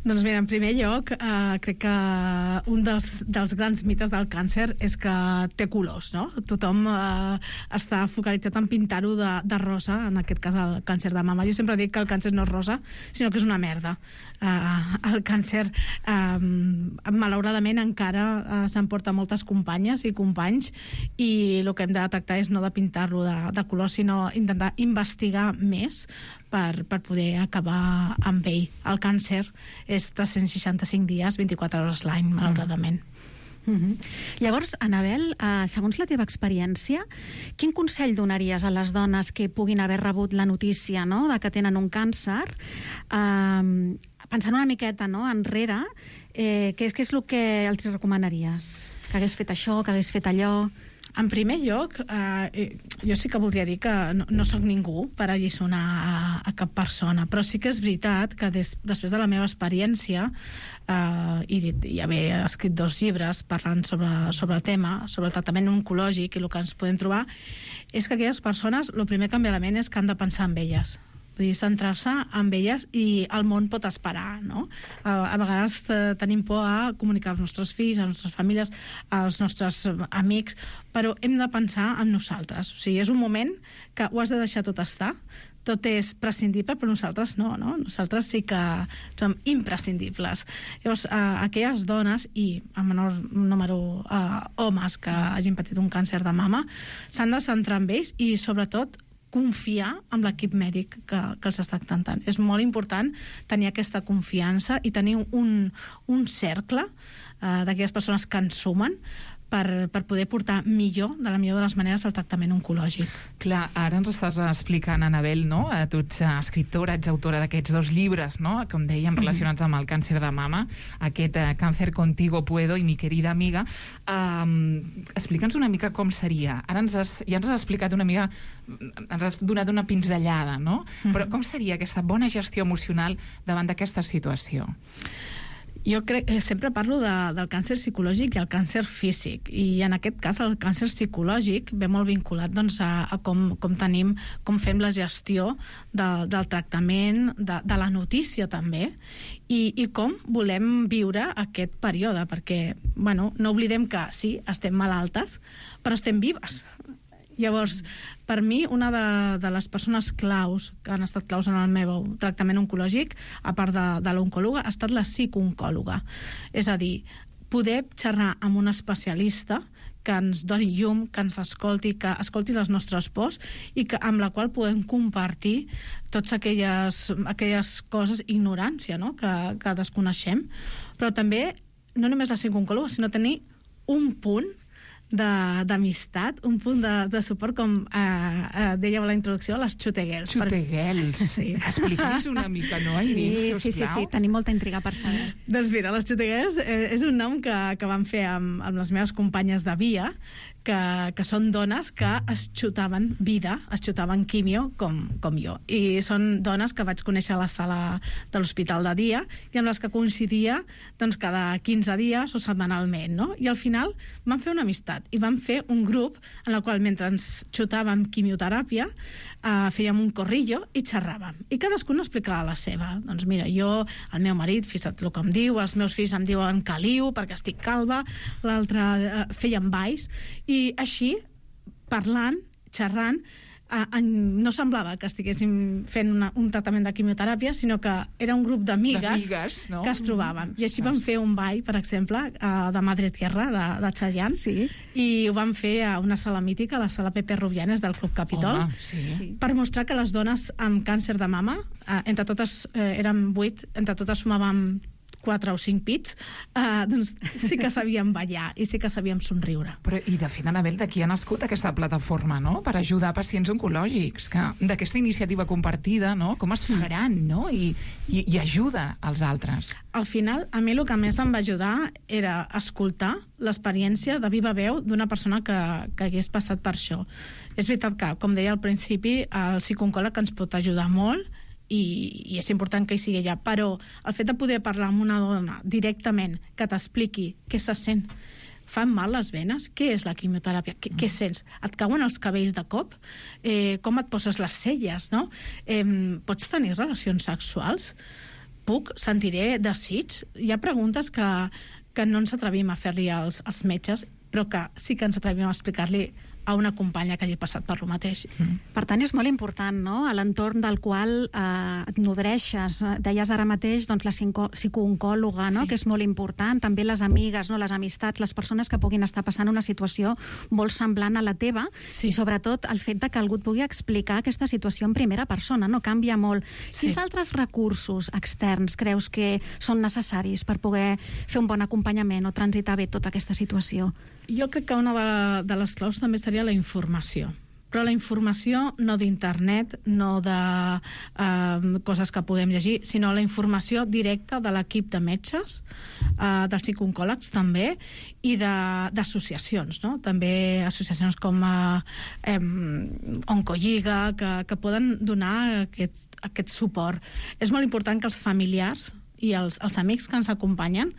Doncs mira, en primer lloc, eh, crec que un dels, dels grans mites del càncer és que té colors, no? Tothom eh, està focalitzat en pintar-ho de, de rosa, en aquest cas el càncer de mama. Jo sempre dic que el càncer no és rosa, sinó que és una merda. Eh, el càncer, eh, malauradament, encara eh, s'emporta moltes companyes i companys, i el que hem de tractar és no de pintar-lo de, de color, sinó intentar investigar més per, per poder acabar amb ell. El càncer és tres-cents seixanta-cinc dies, vint-i-quatre hores l'any, malauradament. Mm -hmm. Llavors, Anabel, eh, segons la teva experiència, quin consell donaries a les dones que puguin haver rebut la notícia, no?, de que tenen un càncer, eh, pensant una miqueta, no?, enrere, eh, què és, què és el que els recomanaries? Que hagués fet això, que hagués fet allò? En primer lloc, eh, jo sí que voldria dir que no, no sóc ningú per alliçonar a, a cap persona, però sí que és veritat que des, després de la meva experiència eh, i, i haver escrit dos llibres parlant sobre, sobre el tema, sobre el tractament oncològic i el que ens podem trobar, és que aquelles persones, el primer que em ve a la ment és que han de pensar en elles. Vull dir, centrar-se en elles, i el món pot esperar, no? A, a vegades tenim por a comunicar als nostres fills, a les nostres famílies, als nostres amics, però hem de pensar en nosaltres. O sigui, és un moment que ho has de deixar tot estar, tot és prescindible, però nosaltres no, no? Nosaltres sí que som imprescindibles. Llavors, eh, aquelles dones, i a menor número eh, homes que hagin patit un càncer de mama, s'han de centrar en ells i, sobretot, confiar en l'equip mèdic que, que els està tractant. És molt important tenir aquesta confiança i tenir un, un cercle eh, d'aquelles persones que ens sumen per, per poder portar millor, de la millor de les maneres, el tractament oncològic. Clar, ara ens estàs explicant, Anabel, no? Tu ets escriptora, ets autora d'aquests dos llibres, no?, com dèiem, relacionats amb el càncer de mama, aquest uh, Cáncer, Contigo Puedo i Mi querida amiga. Um, Explica'ns una mica com seria. Ara ens has, ja ens has explicat una mica, ens has donat una pinzellada, no? Mm-hmm. Però com seria aquesta bona gestió emocional davant d'aquesta situació? Jo crec, eh, sempre parlo de, del càncer psicològic i el càncer físic, i en aquest cas el càncer psicològic ve molt vinculat, doncs, a, a com, com tenim, com fem la gestió de, del tractament, de, de la notícia també, i, i com volem viure aquest període, perquè, bueno, no oblidem que sí, estem malaltes, però estem vives. Llavors, per mi, una de, de les persones claus que han estat claus en el meu tractament oncològic, a part de, de l'oncòloga, ha estat la psicooncòloga. És a dir, poder xerrar amb un especialista que ens doni llum, que ens escolti, que escolti les nostres pors, i que, amb la qual podem compartir totes aquelles, aquelles coses, ignorància, no?, que, que desconeixem. Però també, no només la psicooncòloga, sinó tenir un punt d'amistat, un punt de, de suport, com eh, eh, dèieu a la introducció, les xuteguels. Xuteguels. Per... Sí. Expliquis una mica, no, Aileen, sí, sí, sí, sí, tenim molta intriga per saber. Doncs mira, les xuteguels eh, és un nom que, que vam fer amb, amb les meves companyes de via, que, que són dones que es xutaven vida, es xutaven quimio, com, com jo. I són dones que vaig conèixer a la sala de l'hospital de dia i amb les que coincidia doncs, cada quinze dies o setmanalment, no? I al final vam fer una amistat i vam fer un grup en el qual mentre ens xutàvem quimioteràpia eh, fèiem un corrillo i xerràvem. I cadascun explicava la seva. Doncs mira, jo, el meu marit, fixa't el que em diu, els meus fills em diuen caliu perquè estic calva, l'altre eh, feien balls, i així, parlant, xerrant, eh, en, no semblava que estiguéssim fent una, un tractament de quimioteràpia, sinó que era un grup d'amigues no? que es trobàvem. I així vam fer un ball, per exemple, eh, de Madre Tierra, de, de Chayanne, sí. I ho vam fer a una sala mítica, a la sala Pepe Rubianes del Club Capitol, Home, sí. Sí. per mostrar que les dones amb càncer de mama, eh, entre totes, eh, érem vuit, entre totes sumàvem quatre o cinc pits, eh, doncs sí que sabíem ballar i sí que sabíem somriure. Però, i de fet, Anabel, d'aquí ha nascut aquesta plataforma, no?, per ajudar pacients oncològics, que d'aquesta iniciativa compartida, no?, com es fa gran, no?, i, i, i ajuda als altres. Al final, a mi el que més em va ajudar era escoltar l'experiència de viva veu d'una persona que, que hagués passat per això. És veritat que, com deia al principi, el psicooncòleg ens pot ajudar molt, I, i és important que hi sigui allà, però el fet de poder parlar amb una dona directament, que t'expliqui què se sent, fan mal les venes, què és la quimioteràpia, què, què sents, et cauen els cabells de cop, eh, com et poses les celles, no? Eh, pots tenir relacions sexuals? Puc? Sentiré desig? Hi ha preguntes que, que no ens atrevim a fer-li als, als metges, però que sí que ens atrevim a explicar-li a una companya que hagi passat per lo mateix. Mm. Per tant, és molt important, no?, a l'entorn del qual eh, et nodreixes. Deies ara mateix doncs, la psicooncòloga, no?, sí. que és molt important, també les amigues, no?, les amistats, les persones que puguin estar passant una situació molt semblant a la teva, sí. i sobretot el fet de que algú et pugui explicar aquesta situació en primera persona, no?, canvia molt. Sí. Quins altres recursos externs creus que són necessaris per poder fer un bon acompanyament o transitar bé tota aquesta situació? Jo crec que una de, de les claus també seria la informació. Però la informació no d'internet, no de eh, coses que puguem llegir, sinó la informació directa de l'equip de metges, eh, dels psicooncòlegs també, i d'associacions, no? També associacions com eh, Oncolliga, que, que poden donar aquest, aquest suport. És molt important que els familiars i els, els amics que ens acompanyen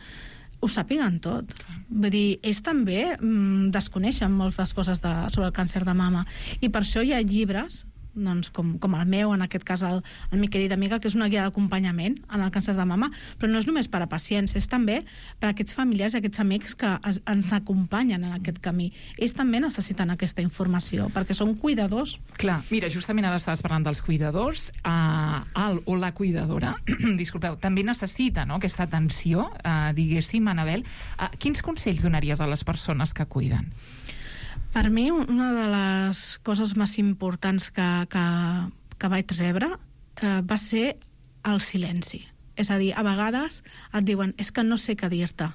ho sàpiguen tot. Vull dir, ells també mm, desconeixen moltes coses de, sobre el càncer de mama. I per això hi ha llibres, doncs, com, com el meu, en aquest cas el, el mi querida amiga, que és una guia d'acompanyament en el càncer de mama, però no és només per a pacients, és també per a aquests familiars i aquests amics que es, ens acompanyen en aquest camí. Ells també necessiten aquesta informació, perquè són cuidadors. Clar, mira, justament ara estaves parlant dels cuidadors, eh, el o la cuidadora, disculpeu, també necessita, no?, aquesta atenció, eh, diguéssim, Anabel. Eh, quins consells donaries a les persones que cuiden? Per mi, una de les coses més importants que, que, que vaig rebre eh, va ser el silenci. És a dir, a vegades et diuen, és que no sé què dir-te,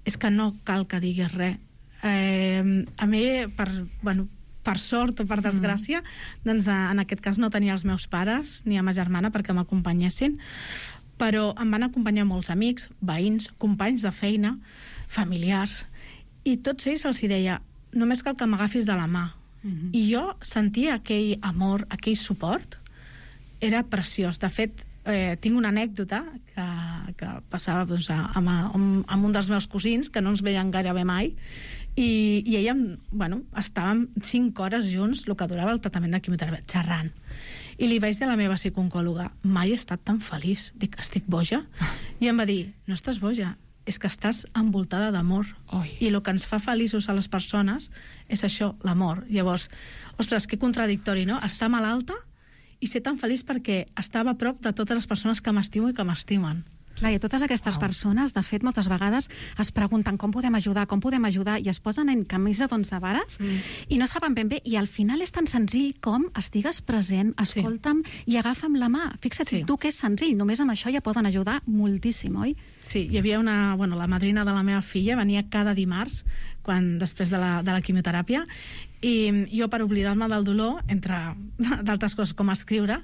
és que no cal que diguis res. Eh, a mi, per, bueno, per sort o per desgràcia, mm. doncs en aquest cas no tenia els meus pares ni a ma germana perquè m'acompanyessin, però em van acompanyar molts amics, veïns, companys de feina, familiars, i tots ells els hi deia, només cal que m'agafis de la mà. Mm-hmm. I jo sentia aquell amor, aquell suport, era preciós. De fet, eh, tinc una anècdota que, que passava doncs, amb, amb, amb un dels meus cosins, que no ens veien gairebé mai, i, i ella, bueno, estàvem cinc hores junts, el que durava el tractament de quimioteràpia, xerrant. I li vaig dir a la meva psicooncòloga, mai he estat tan feliç. Dic, estic boja? I em va dir, no estàs boja, és que estàs envoltada d'amor. I el que ens fa feliços a les persones és això, l'amor. Llavors, ostres, que contradictori, no? Estar malalta i ser tan feliç perquè estava a prop de totes les persones que m'estimo i que m'estimen. Clar, i totes aquestes persones, de fet, moltes vegades es pregunten com podem ajudar, com podem ajudar, i es posen en camisa d'onze vares mm. i no saben ben bé, i al final és tan senzill com estigues present, escolta'm sí. i agafa'm la mà. Fixa't, sí. tu que és senzill, només amb això ja poden ajudar moltíssim, oi? Sí, hi havia una... Bueno, la madrina de la meva filla venia cada dimarts, quan, després de la, de la quimioteràpia, i jo, per oblidar-me del dolor, entre d'altres coses com escriure,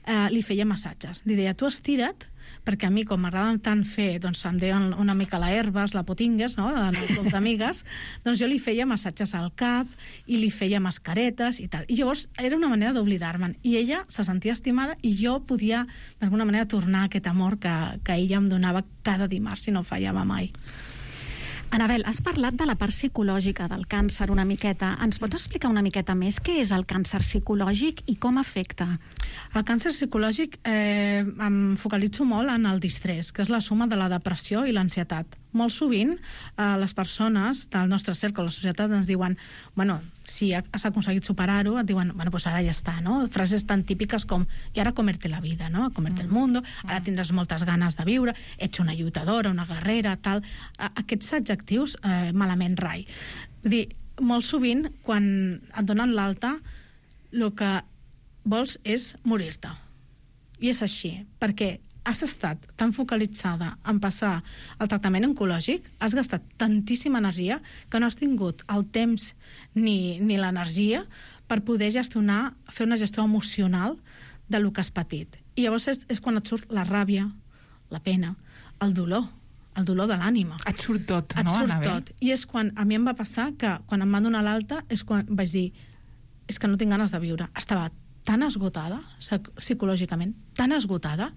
eh, li feia massatges. Li deia, tu estira't, perquè a mi, com m'agrada tant fer, doncs em deien una mica la herbes, la potingues, no?, del club d'amigues, doncs jo li feia massatges al cap i li feia mascaretes i tal. I llavors era una manera d'oblidar-me'n. I ella se sentia estimada i jo podia, d'alguna manera, tornar aquest amor que, que ella em donava cada dimarts i no fallava mai. Anabel, has parlat de la part psicològica del càncer una miqueta. Ens pots explicar una miqueta més què és el càncer psicològic i com afecta? El càncer psicològic eh, em focalitzo molt en el distrés, que és la suma de la depressió i l'ansietat. Molt sovint eh, les persones del nostre cercle, la societat, ens diuen, bueno, si has aconseguit superar-ho, et diuen, bueno, pues ara ja està, no? Frases tan típiques com, i ara comerte la vida, no? Comerte el mundo, ara tindràs moltes ganes de viure, ets una lluitadora, una guerrera, tal. Aquests adjectius, eh, malament rai. Vull dir, molt sovint, quan et donen l'alta, el que vols és morir-te. I és així, perquè has estat tan focalitzada en passar el tractament oncològic, has gastat tantíssima energia que no has tingut el temps ni, ni l'energia per poder gestionar, fer una gestió emocional del que has patit. I llavors és, és quan et surt la ràbia, la pena, el dolor, el dolor de l'ànima. Et surt tot, et no, surt Anabel? tot. I és quan, a mi em va passar que quan em van donar l'alta és quan vaig dir, és que no tinc ganes de viure. Estava tan esgotada, psicològicament, tan esgotada,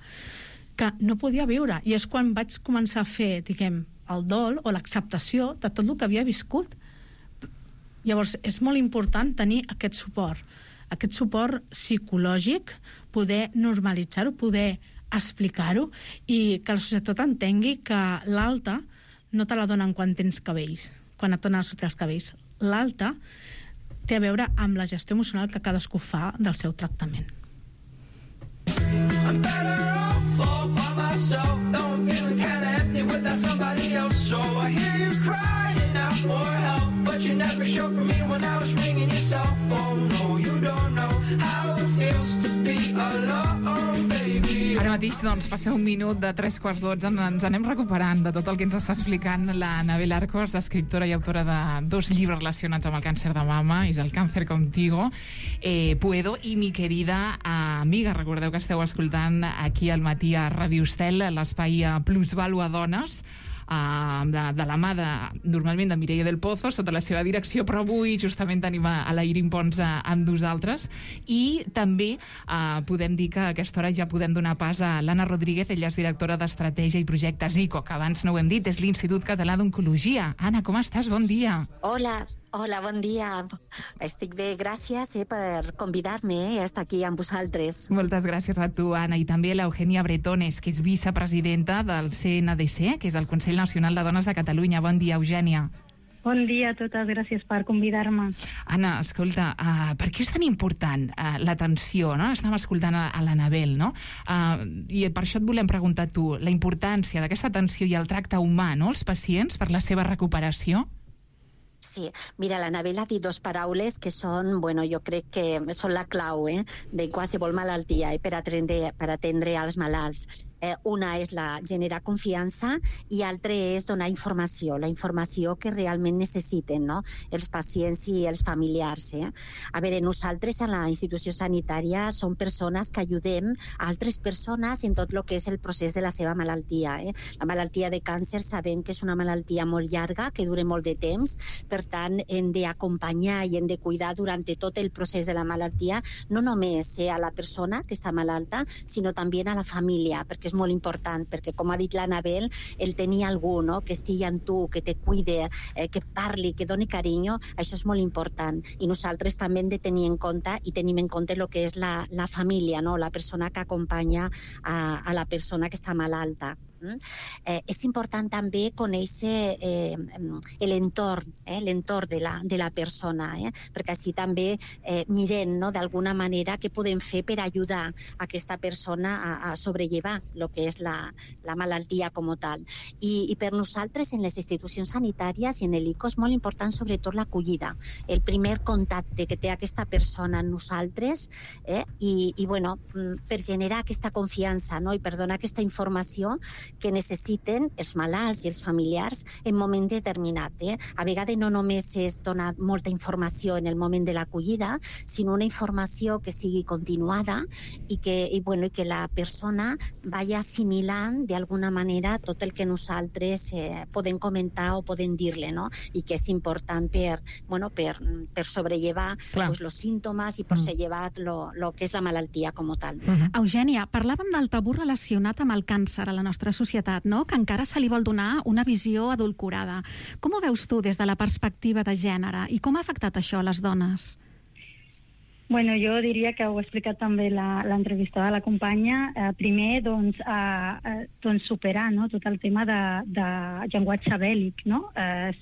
que no podia viure. I és quan vaig començar a fer, diguem, el dol o l'acceptació de tot el que havia viscut. Llavors, és molt important tenir aquest suport, aquest suport psicològic, poder normalitzar-ho, poder explicar-ho i que la societat entengui que l'alta no te la donen quan tens cabells, quan et donen a sortir els cabells. L'alta té a veure amb la gestió emocional que cadascú fa del seu tractament. I'm better off all by myself, though I'm feeling kinda empty without somebody else. So I hear you crying out for help, but you never showed for me when I was ringing your cell phone. No, you don't know how it feels to be alone, baby. Ara mateix, doncs, passeu un minut de tres quarts dotze, ens anem recuperant de tot el que ens està explicant la Anabel Arcos, escriptora i autora de dos llibres relacionats amb el càncer de mama, és El càncer contigo, eh, Puedo, i mi querida amiga, recordeu que esteu escoltant aquí al matí a Ràdio Estel, l'espai Plusvàlua Dones, Uh, de, de la mà de, normalment de Mireia del Pozo, sota la seva direcció, però avui justament tenim a, a la Irin Pons a, amb nosaltres, i també uh, podem dir que a aquesta hora ja podem donar pas a l'Anna Rodríguez, ella és directora d'Estratègia i Projectes I C O, que abans no ho hem dit, és l'Institut Català d'Oncologia. Anna, com estàs? Bon dia. Hola, hola, bon dia. Estic bé, gràcies eh, per convidar-me eh, a estar aquí amb vosaltres. Moltes gràcies a tu, Anna, i també a l'Eugènia Bretones, que és vicepresidenta del C N D C, que és el Consell Nacional de Dones de Catalunya. Bon dia, Eugènia. Bon dia a totes, gràcies per convidar-me. Anna, escolta, uh, per què és tan important uh, l'atenció, no? Estàvem escoltant a, a l'Anabel, no? Uh, I per això et volem preguntar a tu, la importància d'aquesta atenció i el tracte humà, no?, als pacients per la seva recuperació? Sí, mira, l'Anabel ha dit dos paraules que són, bueno, jo crec que són la clau eh, de qualsevol malaltia eh, per, atendre, per atendre als malalts. Eh, una és la generar confiança i altra és donar informació, la informació que realment necessiten no? els pacients i els familiars. Eh? A veure, nosaltres a la institució sanitària som persones que ajudem a altres persones en tot el que és el procés de la seva malaltia. Eh? La malaltia de càncer sabem que és una malaltia molt llarga, que dura molt de temps, per tant hem d'acompanyar i hem de cuidar durant tot el procés de la malaltia, no només eh, a la persona que està malalta, sinó també a la família, perquè és molt important, perquè com ha dit l'Anabel, el tenir algú no? que estigui amb tu, que te cuide, eh, que parli, que doni carinyo, això és molt important. I nosaltres també hem de tenir en compte i tenim en compte el que és la, la família, no? La persona que acompanya a, a la persona que està malalta. Eh, és important també conèixer eh, l'entorn, eh, l'entorn de la, de la persona, eh, perquè així també eh, mirem, no, d'alguna manera què podem fer per ajudar a aquesta persona a, a sobrellevar el que és la, la malaltia com a tal. I, I per nosaltres, en les institucions sanitàries i en l'I C O, és molt important sobretot l'acollida, el primer contacte que té aquesta persona amb nosaltres, eh, i, i bueno, per generar aquesta confiança, no, i per donar aquesta informació que necessiten els malalts i els familiars en moment determinat. Eh? A vegades no només és donar molta informació en el moment de l'acollida, sinó una informació que sigui continuada i que, i, bueno, i que la persona vagi assimilant d'alguna manera tot el que nosaltres eh, podem comentar o podem dir-li, no? I que és important per, bueno, per, per sobrellevar pues, els símptomes i per sobrellevar lo, lo que és la malaltia com a tal. Uh-huh. Eugènia, parlàvem del tabú relacionat amb el càncer a la nostra societat, no? Que encara se li vol donar una visió adulcorada. Com ho veus tu des de la perspectiva de gènere i com ha afectat això a les dones? Bueno, jo diria que ho ha explicat també l'entrevistada, la companya. Eh, primer, doncs, eh, doncs superar, no?, tot el tema de, de llenguatge bèl·lic, no? Eh,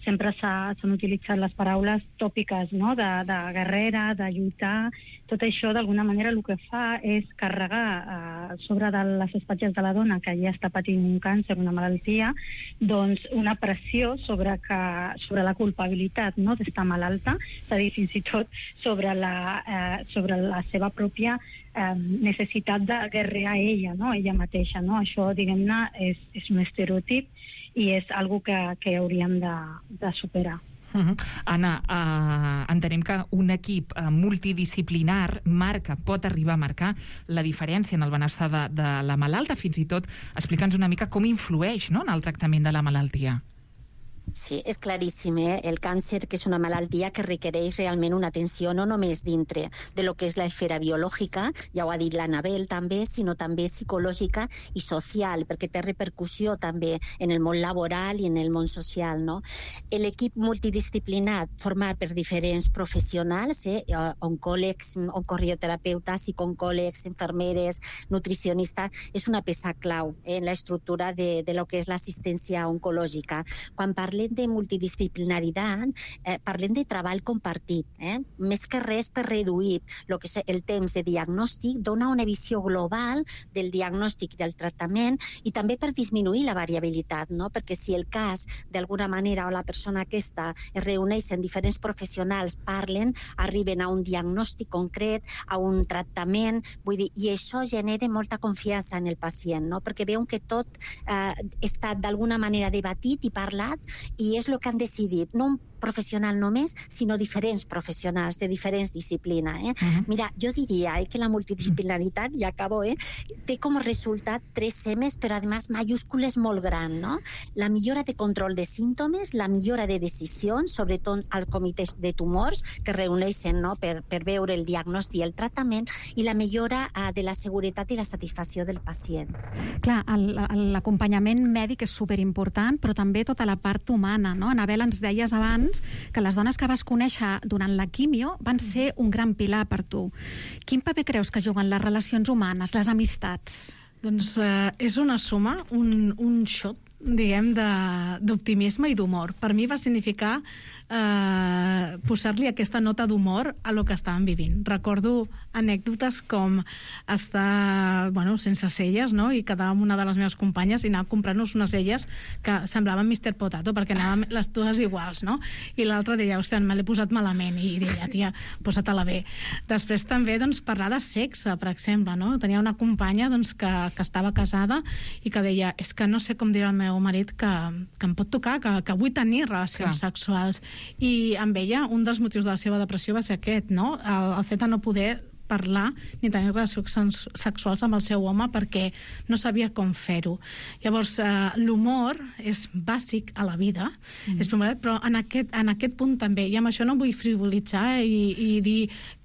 sempre s'han utilitzat les paraules tòpiques, no?, de, de guerrera, de lluitar. Tot això, d'alguna manera, el que fa és carregar eh, sobre de les espatlles de la dona que ja està patint un càncer, una malaltia, doncs una pressió sobre, que, sobre la culpabilitat, no?, d'estar malalta, és a dir, fins i tot sobre la La, eh, sobre la seva pròpia eh, necessitat de guerrear ella, no? Ella mateixa, no? Això, diguem-ne, és, és un estereotip i és algo que, que hauríem de, de superar. Uh-huh. Anna, uh, entenem que un equip uh, multidisciplinar marca, pot arribar a marcar la diferència en el benestar de, de la malalta, fins i tot explica'ns una mica com influeix, no?, en el tractament de la malaltia. Sí, és claríssim, eh? El càncer, que és una malaltia que requereix realment una atenció no només dintre de lo que és l'esfera biològica, ja ho ha dit l'Anabel també, sinó també psicològica i social, perquè té repercussió també en el món laboral i en el món social, no? L'equip multidisciplinar format per diferents professionals, eh? oncòlegs, oncoreoterapeutes, psicooncòlegs, infermeres, nutricionistes, és una peça clau eh? en l'estructura de, de lo que és l'assistència oncològica. Quan parlem de multidisciplinaritat, eh, parlem de treball compartit. Eh? Més que res per reduir lo que és el temps de diagnòstic, dona una visió global del diagnòstic i del tractament i també per disminuir la variabilitat, no? Perquè si el cas, d'alguna manera, o la persona aquesta es reuneix en diferents professionals, parlen, arriben a un diagnòstic concret, a un tractament, vull dir, i això genera molta confiança en el pacient, no? Perquè veuen que tot eh, està d'alguna manera debatit i parlat i és el que han decidit, no un professional només, sinó diferents professionals de diferents disciplines. Eh? Uh-huh. Mira, jo diria eh, que la multidisciplinaritat, ja acabo, eh, té com a resultat tres semes, però además mayúscules molt grans, no? La millora de control de símptomes, la millora de decisions, sobretot al comitè de tumors, que reuneixen, no?, per, per veure el diagnòstic i el tractament, i la millora eh, de la seguretat i la satisfacció del pacient. Clar, l'acompanyament mèdic és superimportant, però també tota la part humana, no? Anabel, ens deies abans que les dones que vas conèixer durant la quimio van ser un gran pilar per tu. Quin paper creus que juguen les relacions humanes, les amistats? Doncs eh, és una suma, un, un shot, diguem, d'optimisme i d'humor. Per mi va significar eh, posar-li aquesta nota d'humor a lo que estàvem vivint. Recordo anècdotes com estar, bueno, sense celles, no?, i quedar amb una de les meves companyes i anar a comprar-nos unes celles que semblaven mister Potato, perquè anàvem les dues iguals, no? I l'altra deia, hòstia, me l'he posat malament, i deia, tia, posa-te-la bé. Després també, doncs, parlar de sexe, per exemple, no? Tenia una companya, doncs, que, que estava casada i que deia, és que no sé com dirà el meu marit que, que em pot tocar, que, que vull tenir relacions Clar. sexuals. I amb ella, un dels motius de la seva depressió va ser aquest, no? El, el fet de no poder parlar ni tenir relacions sexuals amb el seu home perquè no sabia com fer-ho. Llavors, eh, l'humor és bàsic a la vida, mm. és primordial, però en aquest, en aquest punt també, i amb això no vull frivolitzar i, i dir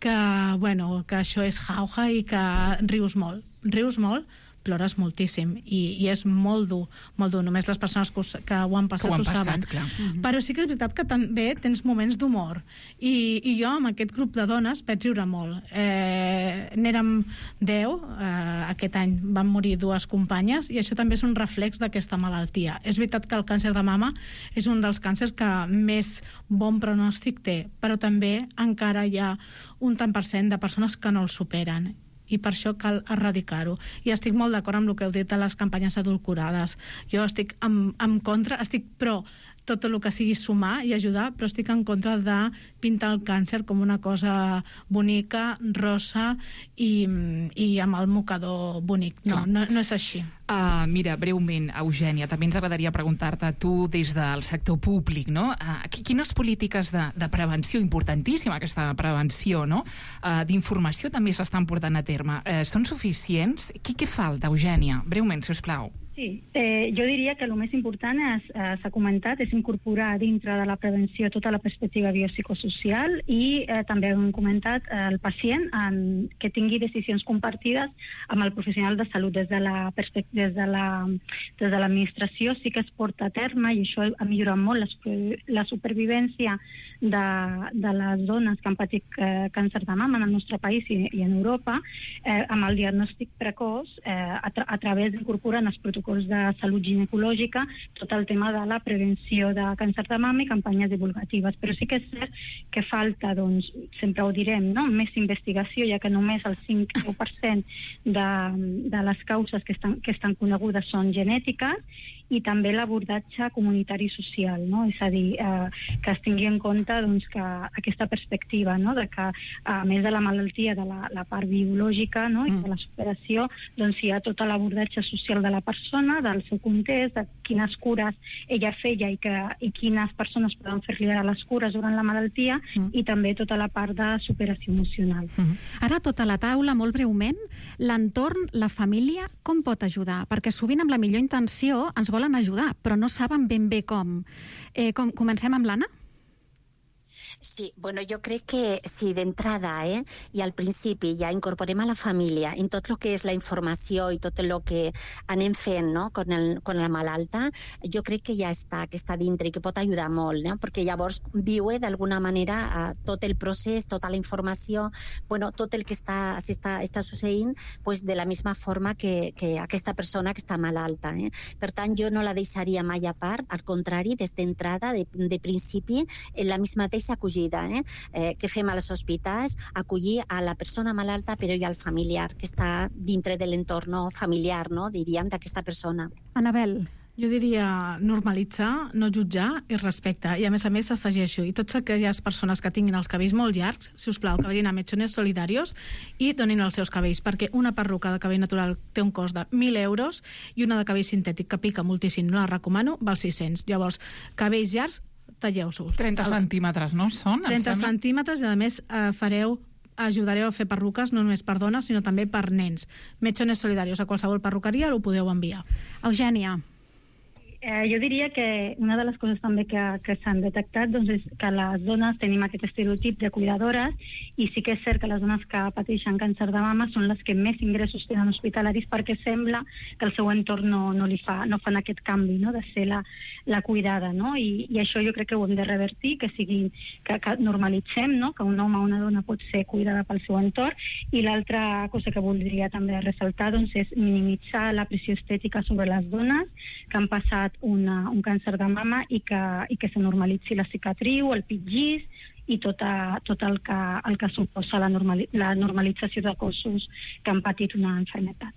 que, bueno, que això és jauja i que rius molt. Rius molt, plores moltíssim i, i és molt dur, molt dur. Només les persones que, us, que ho han passat ho, han ho passat, saben. clar. Mm-hmm. Però sí que és veritat que també tens moments d'humor I, i jo amb aquest grup de dones vaig riure molt. Eh, n'érem deu, eh, aquest any van morir dues companyes i això també és un reflex d'aquesta malaltia. És veritat que el càncer de mama és un dels càncers que més bon pronòstic té, però també encara hi ha un tant per cent de persones que no el superen i per això cal erradicar-ho. I estic molt d'acord amb el que heu dit de les campanyes adulcorades. Jo estic en, en contra, estic pro tot el que sigui sumar i ajudar, però estic en contra de pintar el càncer com una cosa bonica, rosa i, i amb el mocador bonic. No, no, no és així. Uh, mira, breument, Eugènia, també ens agradaria preguntar-te, tu des del sector públic, no? Uh, quines polítiques de, de prevenció, importantíssima aquesta prevenció, no? Uh, d'informació també s'estan portant a terme. Uh, són suficients? Què, què falta, Eugènia? Breument, si us plau. Sí, eh, jo diria que el més important és, eh, s'ha comentat, és incorporar dintre de la prevenció tota la perspectiva biopsicosocial i eh, també hem comentat eh, el pacient en, que tingui decisions compartides amb el professional de salut des de la des de la des de l'administració sí que es porta a terme i això ha millorat molt la, la supervivència de, de les dones que han patit eh, càncer de mama en el nostre país i, i en Europa eh, amb el diagnòstic precoç eh, a, tra a través d'incorporar en els protocols de salut ginecològica tot el tema de la prevenció de càncer de mama i campanyes divulgatives. Però sí que és cert que falta, doncs, sempre ho direm, no? Més investigació, ja que només el cinc o deu per cent de, de les causes que estan, que estan conegudes són genètiques i també l'abordatge comunitari i social, no? És a dir, eh, que es tingui en compte doncs, que aquesta perspectiva, no? De que a més de la malaltia, de la, la part biològica, no? I de la superació, doncs hi ha tot l'abordatge social de la persona, del seu context, de quines cures ella feia i, que, i quines persones poden fer-li ara les cures durant la malaltia mm. i també tota la part de superació emocional. Mm. Ara, tota la taula, molt breument, l'entorn, la família, com pot ajudar? Perquè sovint amb la millor intenció ens volen ajudar, però no saben ben bé com. Eh, com comencem amb l'Anna? Sí, bueno, jo crec que si d'entrada eh, i al principi ja incorporem a la família en tot el que és la informació i tot el que anem fent no, con, el, con la malalta, jo crec que ja està, que està dintre i que pot ajudar molt, no? Perquè llavors viure d'alguna manera eh, tot el procés, tota la informació, bueno, tot el que està, està, està succeint pues, de la misma forma que, que aquesta persona que està malalta. Eh? Per tant, jo no la deixaria mai a part, al contrari, des d'entrada, de, de principi, en la misma mateixa acollida eh? Eh, que fem als hospitals, acollir a la persona malalta però i al familiar que està dintre de l'entorn familiar, no? Diríem, d'aquesta persona. Anabel. Jo diria normalitzar, no jutjar i respecte. I a més a més afegeixo, i totes aquelles persones que tinguin els cabells molt llargs, si us plau, que vagin a Mechones Solidarios i donin els seus cabells, perquè una perruca de cabell natural té un cost de mil euros i una de cabell sintètic que pica moltíssim, no la recomano, val sis-cents. Llavors, cabells llargs, talleu-los. trenta centímetres, no? Són? trenta centímetres i, a més, eh, fareu ajudareu a fer perruques no només per dones, sinó també per nens. Mechones Solidarios, a qualsevol perruqueria ho podeu enviar. Eugènia. Eh, jo diria que una de les coses també que, que s'han detectat doncs, és que les dones tenim aquest estereotip de cuidadores i sí que és cert que les dones que pateixen càncer de mama són les que més ingressos tenen hospitalaris perquè sembla que el seu entorn no, no li fa, no fan aquest canvi no? De ser la, la cuidada, no? I, i això jo crec que ho hem de revertir, que sigui que, que normalitzem no? Que un home o una dona pot ser cuidada pel seu entorn. I l'altra cosa que voldria també ressaltar doncs, és minimitzar la pressió estètica sobre les dones que han passat Una, un càncer de mama i que, i que se normalitzi la cicatriu, el pitgís i tot, a, tot el, que, el que suposa la, normali, la normalització de cossos que han patit una malaltia.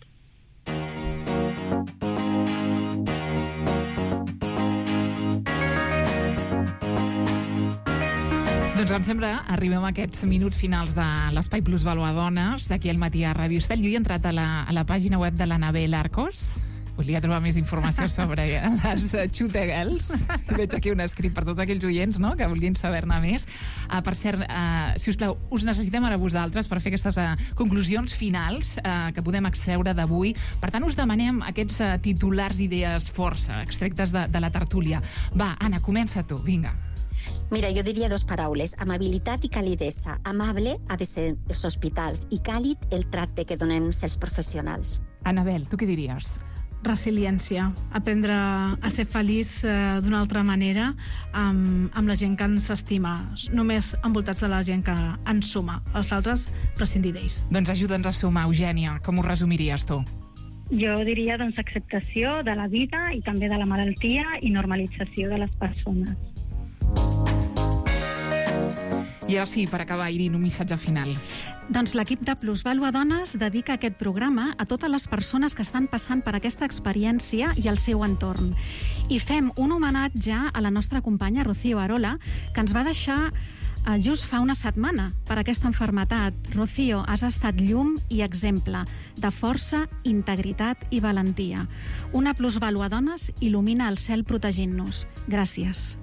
Doncs em sembla, arribem a aquests minuts finals de l'Espai Plus Valor Dones, d'aquí al matí a Ràdio Estel. Jo he entrat a la, a la pàgina web de l'Anabel Arcos. Volia trobar més informació sobre les Xute Girls. Veig aquí un escrit per tots aquells oients no? Que vulguin saber-ne més. Uh, per cert, uh, si us plau, us necessitem ara vosaltres per fer aquestes uh, conclusions finals uh, que podem extreure d'avui. Per tant, us demanem aquests uh, titulars idees força, extractes de, de la tertúlia. Va, Anna, comença tu, vinga. Mira, jo diria dos paraules, amabilitat i calidesa. Amable ha de ser els hospitals i càlid el tracte que donem els professionals. Anabel, tu què diries? Resiliència, aprendre a ser feliç eh, d'una altra manera amb, amb la gent que ens estima, només envoltats de la gent que ens suma. Els altres, prescindir d'ells. Doncs ajuda'ns a sumar, Eugènia. Com ho resumiries tu? Jo diria doncs, acceptació de la vida i també de la malaltia i normalització de les persones. I ara sí, per acabar, Irin, un missatge final. Doncs l'equip de Plusvalua Dones dedica aquest programa a totes les persones que estan passant per aquesta experiència i el seu entorn. I fem un homenatge a la nostra companya Rocío Arola, que ens va deixar eh, just fa una setmana per aquesta enfermetat. Rocío, has estat llum i exemple de força, integritat i valentia. Una Plusvalua Dones il·lumina el cel protegint-nos. Gràcies.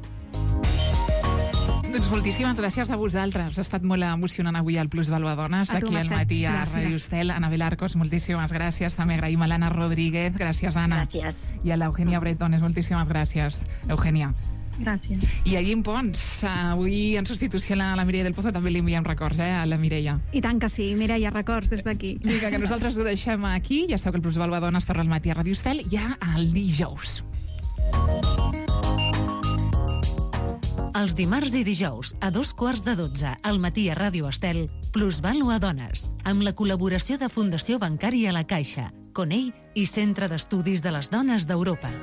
Doncs moltíssimes gràcies a vosaltres. Ha estat molt emocionant avui al Plusvalua Dones, A tu, aquí al Mercè. matí a Gràcies. Ràdio Estel. Anabel Arcos, moltíssimes gràcies. També agraïm a l'Anna Rodríguez. Gràcies, Anna. Gràcies. I a l'Eugènia Bretones. Moltíssimes gràcies, Eugènia. Gràcies. I a Guim Pons, avui en substitució a la Mireia del Pozo, també li enviem records, eh, a la Mireia. I tant que sí, Mireia, records des d'aquí. Vinga, que nosaltres ho deixem aquí. Ja sabeu que el Plusvalua Dones torna al matí a Ràdio Estel ja el dijous. Els dimarts i dijous, a dos quarts de dotze, al matí a Ràdio Estel, Plusvalua Dones, amb la col·laboració de Fundació Bancària La Caixa, Conell i Centre d'Estudis de les Dones d'Europa.